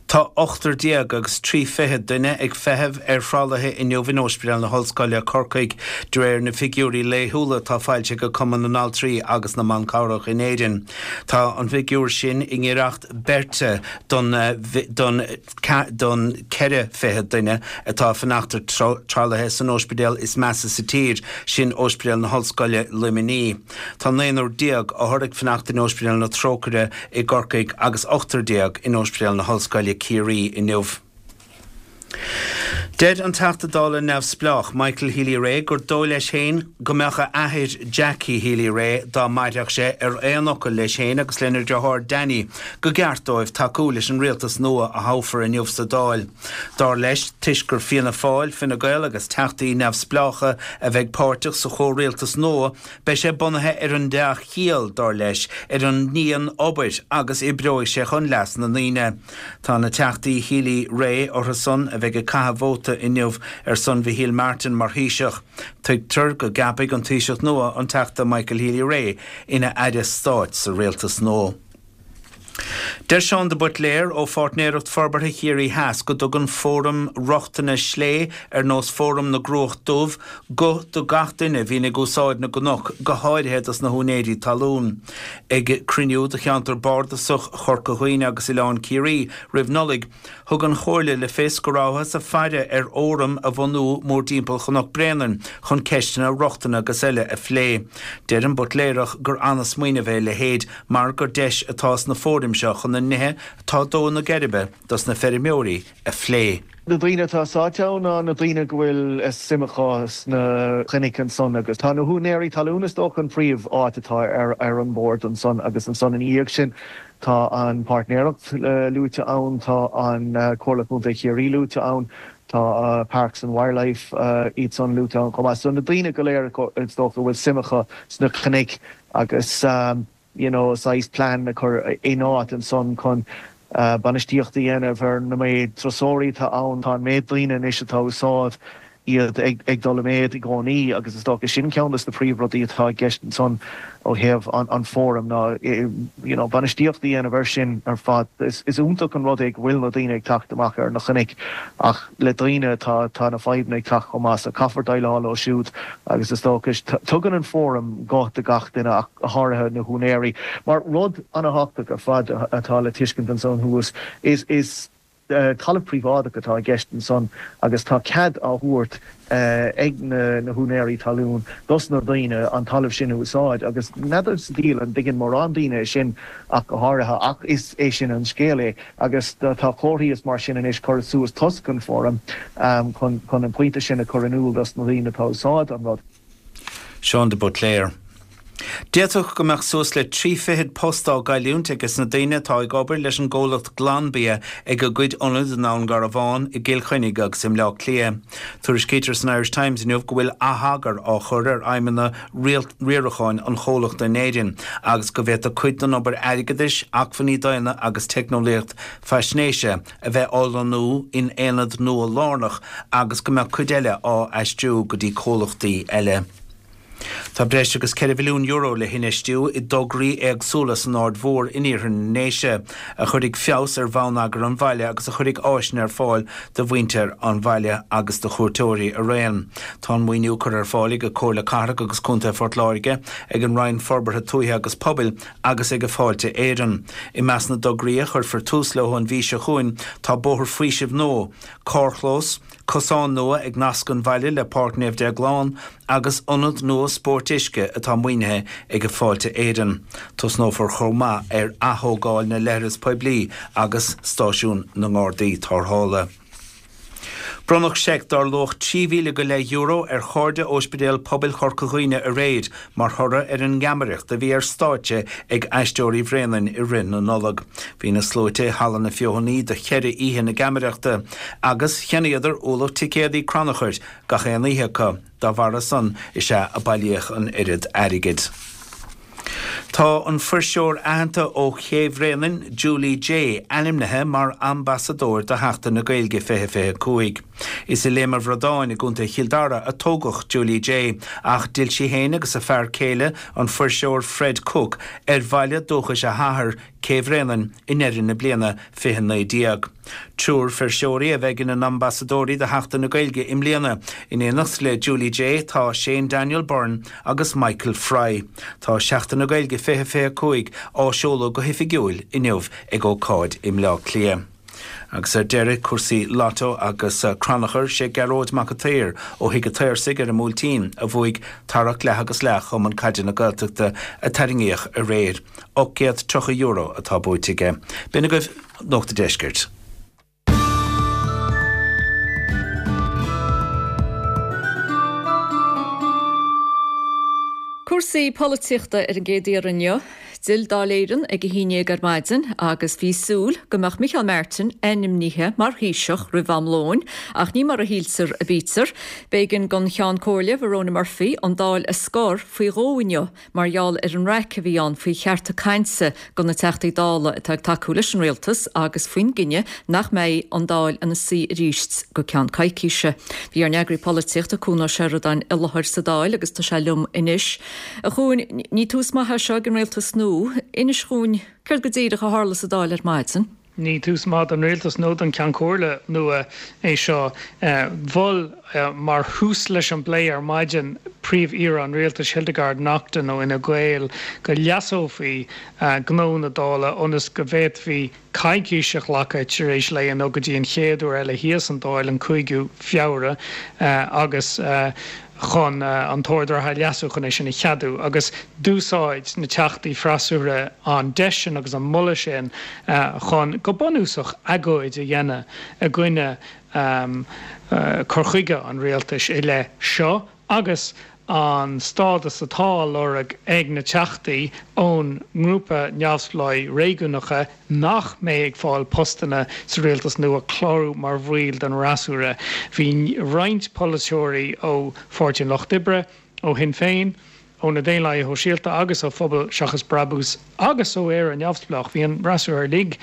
Tá ochtar déag agus trí fichid duine ag feitheamh ar thralaithe inniu in Ospidéal na hOllscoile, Corcaigh, de réir na bhfigiúirí laethúla atá foilsithe ag Cumann na nAltraí agus na mBan Cabhrach in Éirinn. Tá an figiúr sin i ngiorracht beirte don don don ceithre fichid duine atá ag fanacht ar tralaithe san ospidéal is measa sa tír, sin Ospidéal na hOllscoile, Luimnigh. Tá naonúr déag othar ag fanacht in Ospidéal na Trócaire i gCorcaigh agus ochtar déag in Ospidéal na hOllscoile, Ciarraí inniu. Deir an Teachta Dála neamhspleách Michael Healy-Rae gur dóigh leis féin go mbeadh a athair Jackie Healy-Rae dá mairfeadh sé ar aon fhocal leis féin agus lena dheartháir Danny go gceart dóibh tacú leis an rialtas nua a thoghfar inniu sa Dáil. Dar leis, toisc gur Fianna Fáil, Fine Gael agus teachtaí neamhspleácha a bheidh páirteach sa chomhrialtas nua, beidh sé bunaithe ar an dea-chiall, dar leis, ar an ndian-obair agus oibreoidh sé chun leas na ndaoine. Tá na Teachtaí Healy-Rae orthu san a bheidh ag caitheamh vóta inniu ar son Mhichíl Martin mar Thaoiseach. Tuigtear go gceapfaidh an Taoiseach nua an Teachta Michael Healy-Rae ina Aire Stáit sa rialtas nua. Deir Seán de Buitléir ó Pháirtnéireacht Forbartha Chiarraí Theas go dtugann fóraim rochtana slé ar nós Fóram na gCruach Dubh guth do gach duine a bhíonn ag úsáid na gcnoc, go háirithe dos na húinéirí talún. Ag cruinniú do cheantar bardasach Chorca Dhuibhne agus Oileán Ciarraí roimh Nollaig, thug an Chomhairle le fios go rabhthas ag faire ar fhóram a bhunú mórtimpeall Chnoc Bréanainn chun ceisteanna rochtana agus eile a phlé. Deir an Buitléarach gur ana-smaoineamh é a leithéid mar gur deis atá sna fóraim seo chun na nithe atá ag dó na geirbe dos na feirmeoirí a phlé.
Na daoine atá sáite ann ná na daoine go bhfuil suim acu sna cnoic ansan agus tá na húinéirí talún is dócha an príomh áit atá ar ar an bord ansan agus ansan ina dhiaidh sin tá an páirtnéireacht luaite ann, tá an Comhairle Contae Chiarraí luaite ann, tá Parks and Wildlife iad san luaite ann chomh maith. So na daoine go léir is dócha go bhfuil suim acu sna cnoic agus you know saghas plean a chur in áit ansan chun bainistíocht a dhéanamh ar na méid turasóirí atá ann. Tá an méid daoine anois atá ag úsáid iad ag dul i méad i gcónaí agus is dócha sin ceann de na príomhrudaí atá i gceist ansan ó thaobh an fóram ná you know bainistíocht a dhéanamh air sin ar fad. Is iontach an rud é go bhfuil na daoine ag teacht amach ar na cnoic ach le daoine tá tá na fadhbanna ag teacht chomh maith so caithfear déileáil leo siúd agus is dócha tugann an fóram guth do gach duine ach go háirithe na húinéirí. Mar rud an-thábhachtach ar fad atá le tuiscint ansan thuas is is talamh príobháideach atá i gceist ansan agus tá cead á thabhairt ag na húinéirí talún dos na daoine an talamh sin a úsáid agus n'fheadar sa diabhal an dtuigeann mórán daoine é sin ach go háirithe ach is é sin an scéal é agus tá comharthaí is mar sin anois curtha suas toisc an fóram chun chun an pointe sin a chur in iúl dos na daoine atá ag úsáid an rud.
Seán de Buitléar. D'fhéadfadh go mbeadh suas le trí fichid post á gcailliúint ages na daoine atá ag obair leis an gcomhlacht Glanbia ag a gcuid ionad i nDún Garbhán, i gCill Chainnigh agus i mBleá Cliath. Tuairiscítear san Irish Times inniu go bhfuil atheagar á chur ar fheidhmeanna riaracháin an chomhlachta in Éirinn agus go bhféadfadh cuid den obair airgeadais, acmhainní daonna agus teicneolaíocht faisnéise a bheith á lonnú in aonad nua lárnach agus go mbeadh cuid eile á aistriú go dtí comhlachtaí eile. Tá breis agus ceithre mhilliún euro le hinfheistiú i dtograí éagsúla san Aird Mhór in iarthar na nDéise, a chuirfidh feabhas ar bhonneagar an bhaile agus a chuirfidh áiseanna ar fáil do mhuintir an bhaile agus do chuairteoirí araon. Tá an maoiniú curtha ar fáil ag Comhairle Cathrach agus Contae Phort Láirge, ag an Roinn Forbartha Tuaithe agus Pobail agus ag Fáilte Éireann. I measc na dtograí a chuirfear tús leo an mhí seo chugainn tá bóthar faoisimh nua, carrchlós, cosán nua ag nascadh an bhaile le Páirc Naomh Déaglán agus ionad nua spóirt uisce atá maoinithe ag Fáilte Éireann. Tosnófar chomh maith ar athógáil na leithreas poiblí agus stáisiún na nGardaí Tarrthála. Bronnadh seic dar luach trí mhíle go leith euro ar Chairde Ospidéal Pobail Chorca Dhuibhne aréir mar thoradh ar an ngeamaireacht a bhí ar stáitse ag Aisteoirí Bhréanainn i rith na Nollag. Bhí na sluaite i Halla na Feothanaí do cheithre oíche na geamaireachta agus cheannaíodar ualach ticéadaí crannchuir gach aon oíche acu. Dá bharra san is ea a bailíodh an oiread airgid. Tá an fuirseoir aitheanta ó Ché Bhréanainn, Julie Jay, ainmnithe mar ambasadóir do Sheachtain na Gaeilge fiche fiche cúig. Is i Léim an Bhradáin i gContae Chill Dara a tógadh Julie Jay, ach d'fhill sí féin agus a fear céile, an fuirseoir Fred Cooke, ar bhaile dúchais a hathar, Cé Bhréanainn, i ndeireadh na bliana fiche naoi déag. Triúr fuirseoirí a bheidh ina n-ambasadóirí do Sheachtain na Gaeilge i mbliana. In éineacht le Julie Jay tá Shane Daniel Byrne agus Michael Fry. Tá Seachtain na Gaeilge fiche fiche a cúig á seoladh go hoifigiúil inniu ag ócáid i mBleá Cliath. Agus ar deireadh, cúrsaí Lotto agus crannchur, sé Gearóid Mac a' tSaoir ó Thigh a' tSaorsaigh ar an mBuailtín a bhuaigh tarrac leath agus leath Chumann Caide na Gaeltachta a tarraingíodh aréir. ocht gcéad tríocha euro atá buaite aige. B'in agaibh Nuacht an Deiscirt.
Cúrsaí polaitíochta ar an gcéad iarraidh inniu. D'fhill Dáil Éireann ag a haon déag ar maidin agus bhí súil go mbeadh Micheál Martin ainmnithe mar Thaoiseach roimh am lóin, ach ní mar a shíltear a bítear. B'éigean don Cheann Comhairle, Verona Murphy, an Dáil a scor faoi dhó inniu mar gheall ar an raic a bhí ann faoi chearta cainte do na Teachtaí Dála atá ag tacú leis an rialtas agus faoin gcinneadh nach mbeidh an Dáil ina suí arís go ceann coicíse. Bhí ár n-eagraí polaitíochta, Cuan Ó Seireadáin, i láthair sa Dáil agus tá sé liom anois. A Chuain, ní tús maith é seo ag an rialtas nua. Inis dhúinn céard go díreach a tharla sa Dáil ar maidin.
Ní tús maith don rialtas nó don Cheann Comhairle nua é seo. Mhol, mar thús leis an bplé ar maidin, Príomh-Aoire an Rialtais, Hildegarde Naughton ó Fhine Gael, go leasófaí gnó na Dála ionas go bhféadfaí coicís a ghlacadh tar éis lae inniu go dtí an chéad uair eile thíos an Dáil, an cúigiú Feabhra, agus chun an t-ord reatha a leasú chun é sin a cheadú agus d'úsáid na teachtaí freasúra an deis sin agus an moladh sin chun, go bunúsach, agóid a dhéanamh i gcoinne cur chuige an rialtais i leith seo agus an stádas atá á lorg ag na teachtaí ón ngrúpa neamhspleáigh réigiúnacha nach mbeidh ag fáil postanna sa rialtas nua clárú mar bhaill den fhreasúra. Bhí roinnt polaiteoirí ó Pháirtí an Lucht Oibre, ó Shinn Féin, ó na Daonlathaithe Shóisialta agus ó Phobal Seachas Brabús agus ó Éire Neamhspleách, bhí an fhreasúra uilig,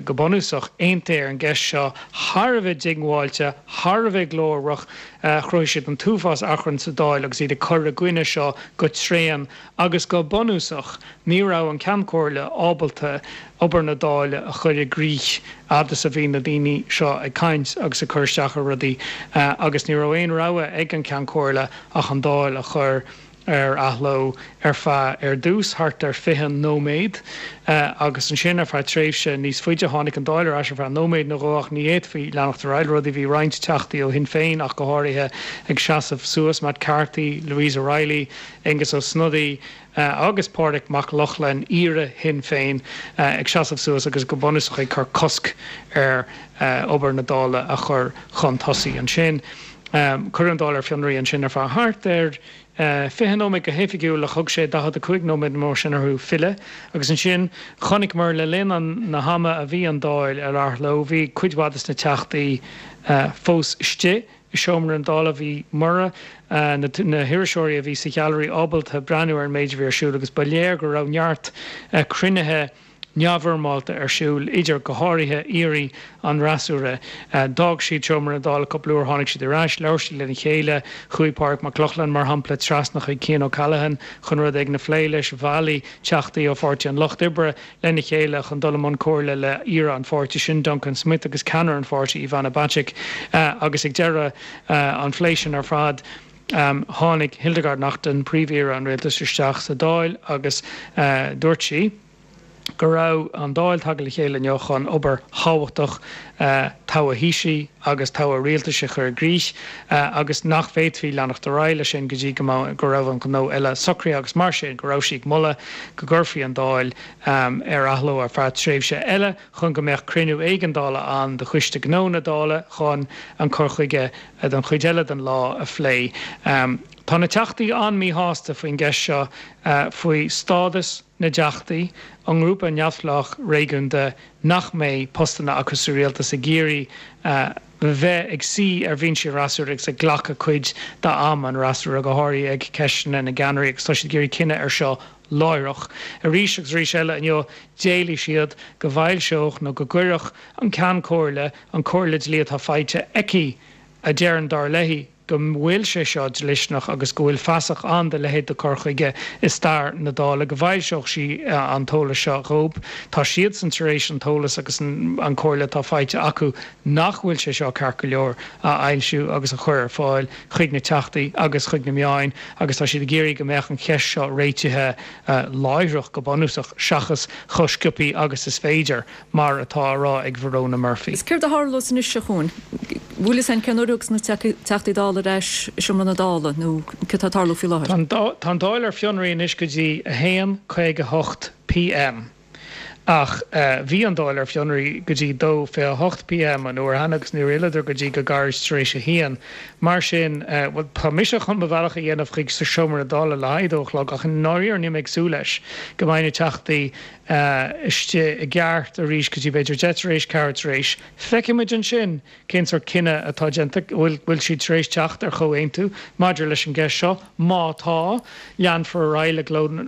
go bunúsach, aontaithe ar an gceist seo, thar a bheith diongbháilte, thar a bheith glórach. Chruthaigh siad an t-uafás achrainn sa Dáil agus iad ag cur i gcoinne seo go tréan agus go bunúsach ní raibh an Ceann Comhairle ábalta obair na Dála a chur i gcrích fhad is a bhí na daoine seo ag caint agus ag cur isteach ar rudaí agus ní raibh aon rogha ag an Ceann Comhairle ach an Dáil a chur ar athló ar feadh, ar dtús, thart ar fiche nóiméad agus ansin ar feadh tréimhse níos faide. Tháinig an Dáil ar ais ar feadh nóiméad nó dhó ach ní fhéadfaí leanacht ar aghaidh le rudaí. Bhí roinnt Teachtaí ó Shinn Féin ach go háirithe ag seasamh suas, Matt Carthy, Louise O'Reilly, Aengus Ó Snodaigh agus Pádraig Mac Lochlainn, aoire Shinn Féin, ag seasamh suas agus go bunúsach ag cur cosc ar obair na Dála a chur chun tosaigh. Ansin cuireadh an Dáil ar fionraí ansin ar feadh thart ar fiche nóiméad go hoifigiúil ach thug sé daichead a cúig nóiméad nó mar sin orthu filleadh agus ansin chonaiceamar le linn an na hama a bhí an Dáil ar athló bhí cuid mhaith des na teachtaí fós istigh i seomra na Dála bhí mura na na hiriseoirí a bhí sa ghailearaí ábalta breathnú ar an méid a bhí ar siúl agus ba léir go raibh neart cruinnithe neamhfhoirmeálta ar siúl idir, go háirithe, aoirí an fhreasúra. D'fhág siad seomra na Dála cúpla uair, tháinig siad ar ais, labhair siad lena chéile. Chuaigh Pádraig Mac Lochlainn, mar shampla, trasna chuig Cian O'Callaghan chun rud éigin a phlé leis. Bhailigh teachtaí ó Pháirtí an Lucht Oibre lena chéile chun dul i mbun comhairle le haoire an pháirtí sin, Duncan Smith, agus ceannaire an pháirtí, Ivana Bacik. Agus ag deireadh an phlé sin ar fad, tháinig Hildegarde Naughton, Príomh-Aoire an Rialtais, isteach sa Dáil agus dúirt sí, go raibh an Dáil tagtha le chéile inniu chun obair thábhachtach togha Thaoisigh agus togha Rialtais a chur i gcrích agus nach bhféadfaí leanacht ar aghaidh leis sin go dtí go go raibh an gnó eile socraithe agus mar sin go raibh sí ag moladh go gcuirfí an Dáil ar athló ar feadh tréimhse eile chun go mbeadh cruinniú éigeandála ann de Choiste Gnó na Dála chun an cur chuige don chuid eile den lá a phlé. Tá na Teachtaí an-mhíshásta faoin gceist seo faoi stádas na dTeachtaí, an ngrúpa neamhspleách réigiúnda nach mbeidh postanna acu sa rialtas ag iarraidh bheith ag suí ar bhinsí an fhreasúra agus ag glacadh cuid d'am an fhreasúra, go háirithe ag ceisteanna na gceannairí agus tá siad ag iarraidh cinneadh air seo láithreach. Arís agus arís eile inniu d'éiligh siad go bhfoilseodh nó go gcuirfeadh an Ceann Comhairle an comhairle dlí atá faighte aici a deireann, dar léi, go bhfuil sé seo dlisteanach agus go bhfuil fasach ann do leithéid de chur chuige i stair na Dála, go bhfoilseodh sí an t-eolas seo dhóibh. Tá siadsan tar éis an t-eolas agus an chomhairle atá faighte acu nach bhfuil sé seo ceart go leor a fhoilsiú agus a chur ar fáil chuig na Teachtaí agus chuig na meáin agus tá siad ag iarraidh go mbeadh an cheist seo réitithe láithreach go bunúsach seachas chomh sciobtha agus is féidir, mar atá á rá ag Verona Murphy.
Is céard a tharlós anois, a Chuain? Bhfuil fhios a'inn cén uair a thiocfas na Teachtaí Dála ar ais i seomra na Dála nó céard atá ag tarlú faoi
láthair? Tá an Dáil ar fionraí anois go dtí a haon caoga a hocht pm ach bhí an Dáil ar fionraí go dtí dó fiche a hocht pm an uair cheana agus níor fhilleadar go dtí go gairid tar éis a haon. Mar sin, bhuel, tá mise chun mo bhealach a dhéanamh chuig seomra na Dála le haghaidh a dó a chlog ach i ndáiríre níl mé ag súil leis go mbeidh na Teachtaí istigh i gceart arís go dtí b'fhéidir deich tar éis ceathair tar éis. Feicfidh muid ansin cén sórt cinneadh atá déanta, bhfuil bhfuil siad tar éis teacht ar chomhaontú maidir leis an gceist seo. Má tá, leanfar ar aghaidh le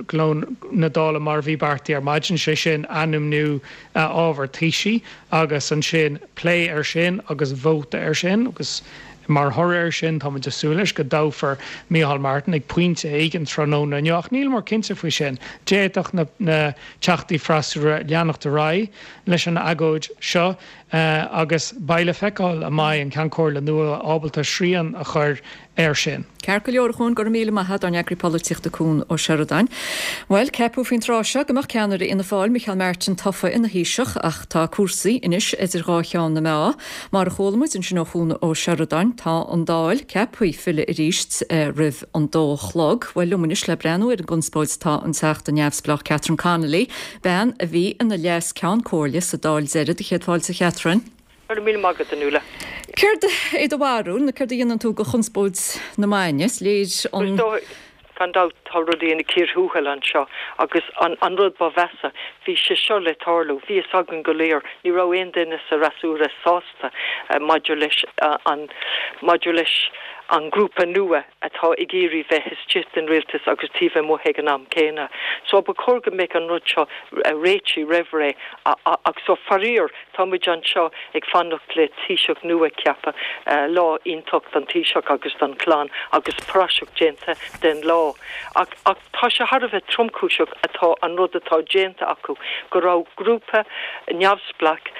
gleo na Dála mar a bhí beartaithe ar maidin, sé sin ainmniú ábhar Taoisigh agus ansin plé air sin agus vóta air sin agus mar thoradh air sin táimid ag súil leis go dtoghfar Micheál Martin ag pointe éigin tráthnóna inniu ach níleamar cinnte faoi sin. D'fhéadfadh na na teachtaí freasúra leanacht ar aghaidh leis an agóid seo agus beidh le feiceáil an mbeidh an Ceann Comhairle nua ábalta srian a chur air sin.
Ceart go leor, a Chuain, go raibh míle maith agat, ár n-eagraí polaitíochta Cuan Ó Seireadáin. Bhuel, ceapadh faoin tráth seo go mbeadh ceannaire Fhianna Fáil, Micheál Martin, tofa ina Thaoiseach ach tá cúrsaí anois idir dhá cheann na meá. Mar a chuala muid ansin ó Chuan Ó Seireadáin, tá an Dáil ceaptha filleadh arís roimh an dó a chlog. Bhuel, liom anois le breathnú ar an gconspóid tá an Teachta neamhspleách Catherine Connolly, bean a bhí ina Leas-Ceann Comhairle sa Dáil deiridh. Céad fáilte, a Chatherine.
Go raibh míle maith agat, a Nuala.
Céard é do bharúil, nó céard a dhéanann tú de chonspóid na maidine? Is léir an.
Gan dabht tá rudaí ina cíor thuathail anseo agus an rud ba mheasa, bhí sé seo le tarlú, bhí fhios againn go léir, ní raibh aon duine sa fhreasúra sásta maidir leis an, maidir leis an ngrúpa nua atá ag iarraidh bheith istigh den rialtas agus taobh amuigh ag an am céanna. So ba chóir go mbeadh an rud seo réitithe roimh ré ach so faraor tá muid anseo ag fanacht le Taoiseach nua a cheapadh, lá iontach don Taoiseach agus don chlann agus praiseach déanta den lá. Ach ach tá sé thar a bheith tromchúiseach atá an rud atá déanta acu, go raibh grúpa neamhspleách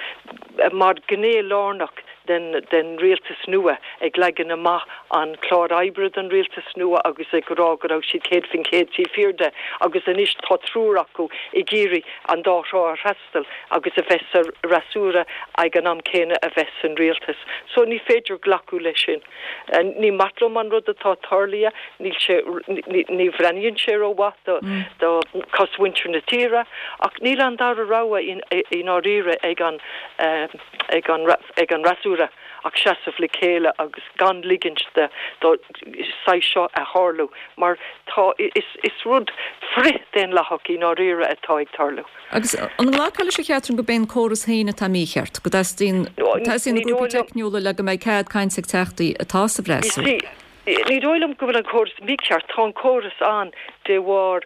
mar ghné lárnach den den rialtas nua ag leagan amach an clár oibre don rialtas nua agus ag rá go raibh siad céad faoin chéad taobh thiar de agus anois tá triúr acu ag iarraidh an dá thrá a fhreastal agus a bheith sa fhreasúra ag an am céanna a bheith san rialtas. So ní féidir glacadh leis sin. Ní maith liom an rud atá tarlaithe, níl sé, ní bhreathnaíonn sé rómhaith do do chosmhuintir na tíre ach níl an dara rogha i ndáiríre ag an ag an ag an fhreasúra ach seasamh le chéile agus gan ligint do do saghas seo a tharlú mar tá is is rud frith-daonlathach i ndáiríre atá ag tarlú.
Agus an nglacfá leis, a Chatherine, gurb é an córas féin atá mícheart, go dteastaíonn teastaíonn na grúpaí teicniúla le go mbeidh cead cainte ag teachtaí atá sa bhfreasúra?
Ní dóigh liom go bhfuil an córas mícheart. Tá an córas ann de bharr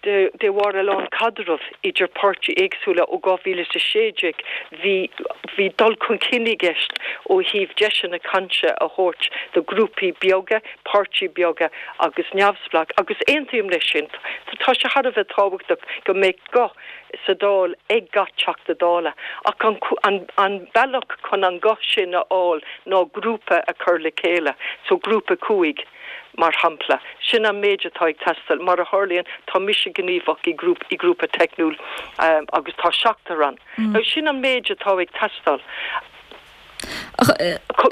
de bharr a lán caidreamh idir páirtí éagsúla ó dhá mhíle is a sé déag. Bhí bhí dul chun cinn i gceist ó thaobh deiseanna cainte a thabhairt do ghrúpaí beaga, páirtí beaga agus neamhspleách agus aontaím leis sin. Tá sé thar a bheith tábhachtach go mbeadh guth sa Dáil ag gach Teachta Dála ach an an an bealach chun an guth sin a fháil ná grúpa a chur le chéile, so grúpa cúig mar shampla. Sin an méid atá ag teastáil. Mar a tharlaíonn, tá mise gníomhach i grúp i grúpa teicniúil agus tá seachtar ann. Now sin an méid atá ag teastáil.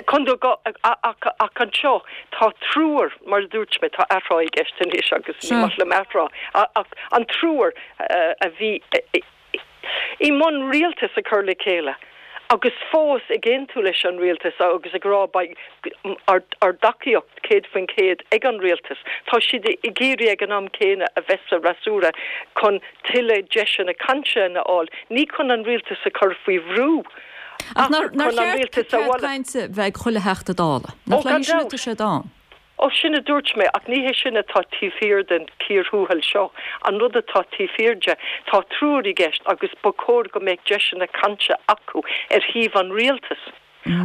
Chun do ach ach anseo tá triúr, mar a dúirt mé, tá athrá i gceist anois agus ní maith liom athrá, ach an triúr a bhí i mbun rialtas a chur le chéile Agus fós ag aontú leis an rialtas agus ag rá beidh ár dtacaíocht céad faoin chéad ag an rialtas. Tá siad ag iarraidh ag an am céanna a bheith sa fhreasúra chun tuilleadh deiseanna cainte a fháil, ní chun an rialtas a chur faoi bhrú
ach chun an rialtas a mholadh. Cainte bheith ag chuile Theachta Dála. Nach le sin atá siad ann?
Ó, sin a dúirt mé, ach ní hé sin atá taobh thiar den cíor thuathail seo. An rud atá taobh thiar de, tá triúr i gceist agus ba chóir go mbeadh deiseanna cainte acu ar thaobh an rialtais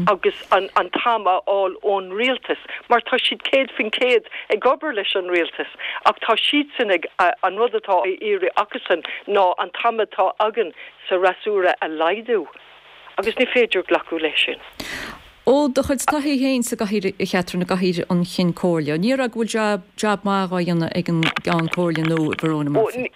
agus an an t-am a fháil ón rialtas, mar tá siad céad faoin chéad ag obair leis an rialtas ach tá siadsan ag, an rud atá á iarraidh acusan ná an t-am atá againn sa fhreasúra a laghdú. Agus ní féidir glacadh leis sin.
Ó do chuid taithí féin sa gcathaoir, a Chatherine, i gcathaoir an Chinn Comhairle, an ndéarfá go bhfuil jab, jab maith á dhéanamh ag an gCeann Comhairle nua, Verona Murphy?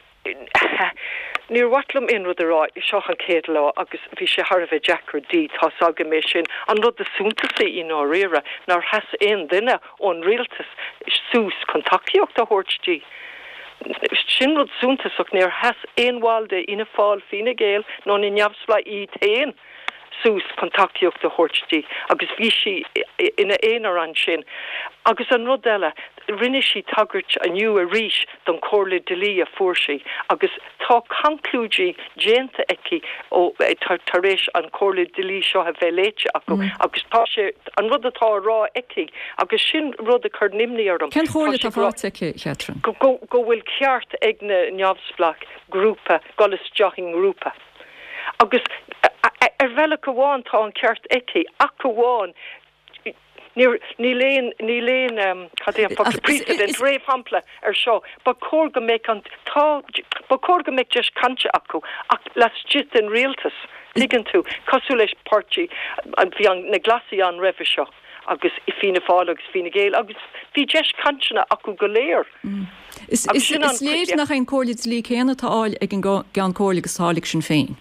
Níor mhaith liom aon rud a rá, seo an chéad lá agus bhí sé thar a bheith deacair di, tá's agam é sin. An rud is suntasaí i ndáiríre, nár sheas aon duine ón rialtas suas chun tacaíocht a thabhairt di. Sin rud suntasach, níor sheas aon bhall de Fhianna Fáil, Fine Gael nó na Neamhspleáigh iad féin suas chun tacaíocht a thabhairt di agus bhí sí ina aonar ansin. Agus an rud eile, rinne sí tagairt inniu arís don chomhairle dlí a fuair sí agus tá conclúidí déanta aici ó tar éis an chomhairle dlí seo a bheith léite acu agus tá sé an rud atá á rá aici agus sin rud a chuireann imní orm.
Cén chomhairle atá faighte aici, Catherine?
Go go bhfuil ceart ag na neamhspleách grúpa dul isteach i ngrúpa. Agus ar bhealach amháin tá an ceart aici, ach amháin níl níl aon níl aon cad é an focal precedent réamhshampla ar seo. Ba chóir go mbeadh an tá ba chóir go mbeadh deis cainte acu ach laistigh den rialtas, tuigeann tú, cosúil leis páirtí bhí an na Glasaigh ann roimhe seo agus Fianna Fáil agus Fine Gael agus bhí deis cainteanna acu go léir.
Is is is léir nach é an comhairle dlí céanna atá á fháil ag an gCeann Comhairle agus atá á fháil ag Sinn Féin.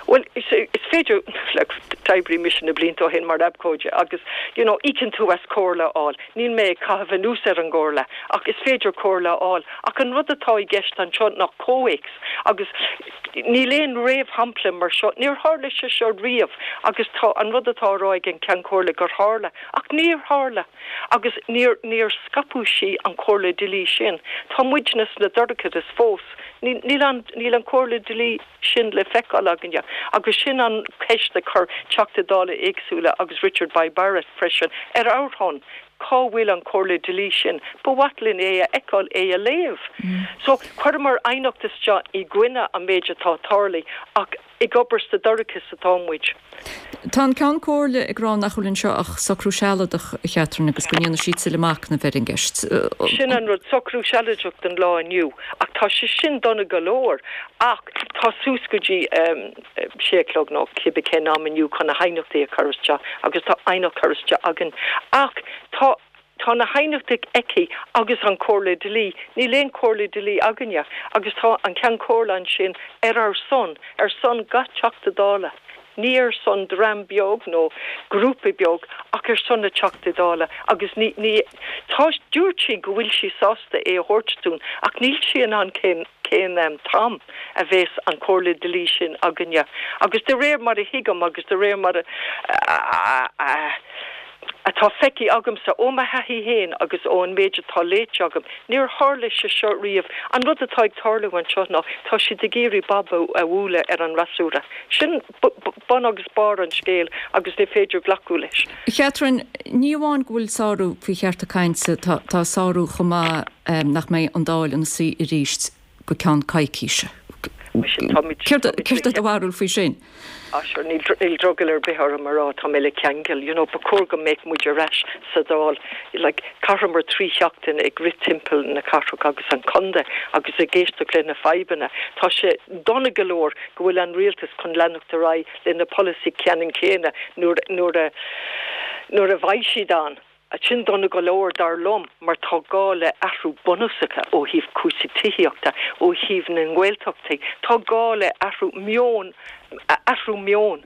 Bhuel, is féidir, like, d'oibrigh mise na blianta ó shin mar abhcóide agus, you know, íocann tú as comhairle a fháil. Níl mé ag caitheamh anuas ar an gcomhairle ach is féidir comhairle a fháil. Ach an rud atá i gceist anseo ná comhthéacs agus níl aon réamhshampla mar seo. Níor tharla sé seo riamh agus tá an rud atá á rá ag an Ceann Comhairle gur tharla ach níor tharla agus níor, níor scaipeadh sí an chomhairle dlí sin. Tá muidne sna dorchadas fós. Níl an, níl an chomhairle dlí sin le feiceáil againne agus sin an cheist a chuir Teachtaí Dála éagsúla agus Richard Bay Barrett freisin ar ár shon, cá bhfuil an chomhairle dlí sin? Ba mhaith linn é a fheiceáil, é a léamh. So, chuireamar aighneacht isteach i gcoinne an méid atá tarlaithe ach ag obair sa dorchadas atá muid.
Tá an Ceann Comhairle ag rá nach bhfuil anseo ach socrú sealadach, a Chatherine, agus go ndéanfaidh siad tuilleadh machnaimh ar an gceist.
Sin an rud, socrú sealadach don lá inniu, ach tá sé sin dona go leor. Ach tá suas go dtí sé a chlog nó cibé cén am inniu chun na haighneachtaí a chur isteach agus tá aighneacht curtha isteach againn. Ach tá. Tá na haighneachtaí aici agus an chomhairle dlí. Níl aon chomhairle dlí againne agus tá an Ceann Comhairle ansin ar ár son, ar son gach Teachta Dála. Ní ar son dream beag nó grúpa beag ach ar son na Teachtaí Dála agus ní, ní, tá, dúirt sí go bhfuil sí sásta é a thabhairt dúinn ach níl sí in ann cén, cén t-am a bheas an chomhairle dlí sin againne. Agus de réir mar a thuigim agus de réir mar a, a, a, atá feicthe agamsa ó mo thaithí féin agus ón méid atá léite agam, níor tharla sé seo riamh. An rud atá ag tarlú anseo ná tá siad ag iarraidh bob a bhualadh ar an fhreasúra. Sin bun agus barr an scéil agus ní féidir glacadh leis.
Catherine, ní amháin go bhfuil sárú faoi chearta cainte, tá sárú chomh maith nach mbeidh an Dáil ina suí arís go ceann coicíse. Céard é do bharúil faoi sin?
Ah sure, níl níl drogall ar bith orm a rá tá mé le ceangal, you know, ba chóir go mbeadh muid ar ais sa Dáil, like, chaitheamar trí sheachtain ag rith timpeall na cathrach agus an chontae agus ag éisteacht le na fadhbanna. Tá sé dona go leor go bhfuil an rialtas chun leanacht ar aghaidh lena polasaí ceannann céanna nuair nuair a nuair a bheidh siad ann. Sin dona go leor dar liom mar tá gá le athrú bunúsacha ó thaobh cúrsaí tithíochta, ó thaobh na nGaeltachtaí. Tá gá le athrú meoin, athrú meoin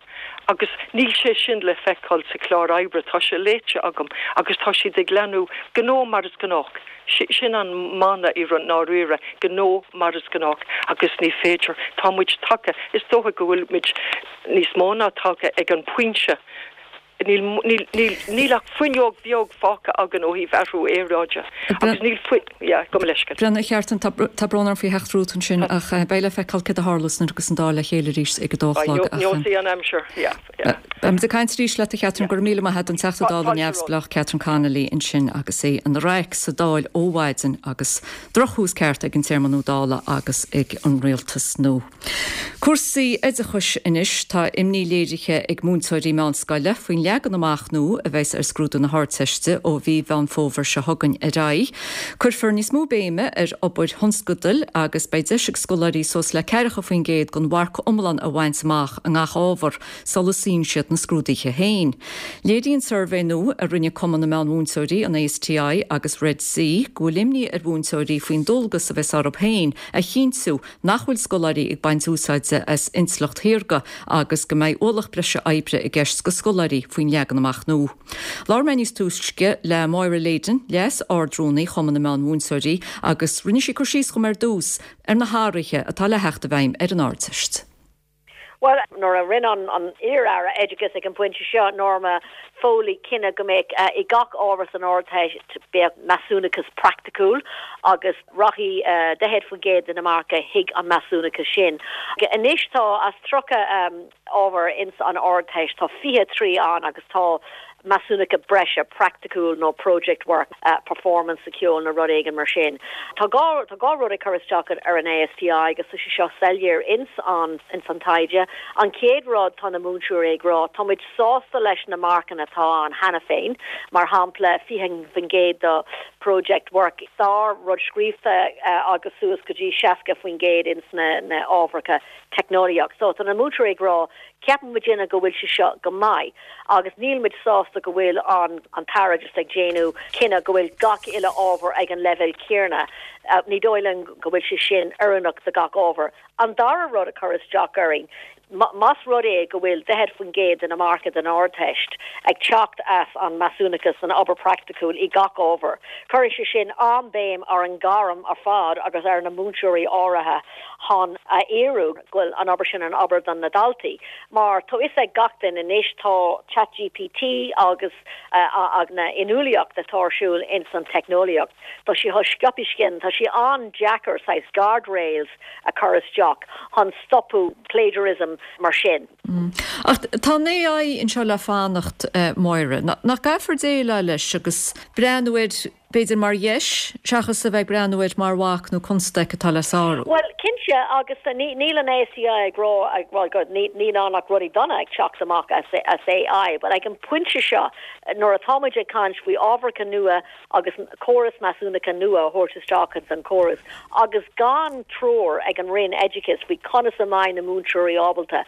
agus níl sé sin le feiceáil sa chlár oibre, tá sé léite agam agus tá siad ag leanúint gnó mar is gnách. Sin an mana i ndáiríre, gnó mar is gnách agus ní féidir, tá muid tagtha, is dócha go bhfuil muid níos mó ná tagtha ag an bpointe, níl, níl, níl, níl ach fuinneog bheag fágtha againn ó thaobh athrú aeráide agus níl fui, yeah, gabh mo leithscéal.
Brenna, a Cheartain, tá, tá brón orm faoi theacht romhat ansin ach beidh le feiceáil céard a tharlós nuair a thiocfas an Dáil le chéile arís ag a dó a chlog ach.
Neosfaidh an aimsir, yeah, yeah.
Beimid ag caint arís leat a Chatherine, go raibh míle maith agat, an Teachta Dála neamhspleách Catherine Connolly ansin agus í ina raic sa Dáil ó mhaidin agus drochthús ceart ag an téarma nua Dála agus ag an rialtas nua. Cúrsaí oideachais anois, tá imní léirithe ag múinteoirí meánscoile faoin leagan amach nua a bheas ar scrúdú na hArdteiste ó mhí Mheán Fómhair seo chugainn ar aghaidh. Cuirfear níos mó béime ar obair thionscadail agus beidh deis ag scoláirí suas le ceathracha faoin gcéad den mharc iomlán a bhaint amach i ngach ábhar sula suíonn siad na scrúduithe féin. Léiríonn suirbhé nua a rinne Cumann na Meánmhúinteoirí, an ASTI agus Red C go bhfuil imní ar mhúinteoirí faoin dualgas a bheas orthu féin a chinntiú nach bhfuil scoláirí ag baint úsáide as intleacht shaorga agus go mbeidh ualach breise oibre i gceist do scoláirí faoin leagan amach nua. Labhair mé níos túisce le Máire Leyden, Leas-Ardrúnaí Chumann na Meán-Mhúinteoirí, agus rinne sí cur síos dhom ar dtús ar na hathruithe atá le theacht i bhfeidhm ar an Ardteist.
Bhuel, nuair a rinne an an iar-aire oideachais ag an bpointe seo, Norma Foley, cinneadh go mbeadh i gach ábhar san Ardteist beadh measúnachas praiticiúil agus rachaidh daichead faoin gcéad de na marca chuig an measúnachas sin. Anois tá as tríocha ábhar ins an Ardteist tá fiche trí ann agus tá measúnacha breise praiticiúil nó project work, performance sa cheol nó rud éigin mar sin. Tá dhá tá dhá rud ag cur isteach ar an ASTI agus tá sé seo soiléir ins an ins an taighde. An chéad rud tá na múinteoirí ag rá, tá muid sásta leis na marcanna atá ann cheana féin, mar shampla fiche faoin gcéad do project work, sár rud scríofa agus suas go dtí seasca faoin gcéad ins na na ábharacha teicneolaíocht. So tá na múinteoirí ag rá ceapann muidinne go bhfuil sé seo go maith agus níl muid sásta go bhfuil an an tAire just ag déanamh cinneadh go bhfuil gach uile ábhar ag an leibhéal céanna. Ní dóigh linn go bhfuil sé sin oiriúnach do gach ábhar. An dara rud a chur isteach orainn, más rud é go bhfuil daichead faoin gcéad de na marca den Ardteist ag teacht as an measúnachas an obair praiticiúil i gach ábhar, cuirfidh sé sin an-béim ar an ngairm ar fad agus ar na múinteoirí áirithe chun a fhíorú go bhfuil an obair sin an obair don na daltaí. Mar tá fhios ag gach duine anois tá ChatGPT agus na inniúlacht atá ar siúl ins an teicneolaíocht. Tá sí chomh sciobtha sin, tá sé an-deacair saghas guardrails a chur isteach chun stopadh plagiarism mar sin.
Ach tá an AI anseo le fanacht, Máire. Nach gcaithfear déileáil leis agus breathnú air b'fhéidir mar dheis seachas a bheith ag breathnú air mar bhac nó constaic atá le sárú?
Bhuel, cinnte, agus níl an ASTI ag rá ag rá go níl ann ach rudaí dona ag teacht amach as as AI, but ag an bpointe seo nuair atá muid ag caint faoi ábharacha nua agus córas measúnacha nua a thabhairt isteach ins an córas agus gan treoir ag an Roinn Oideachais faoi conas a mbeidh na múinteoirí ábalta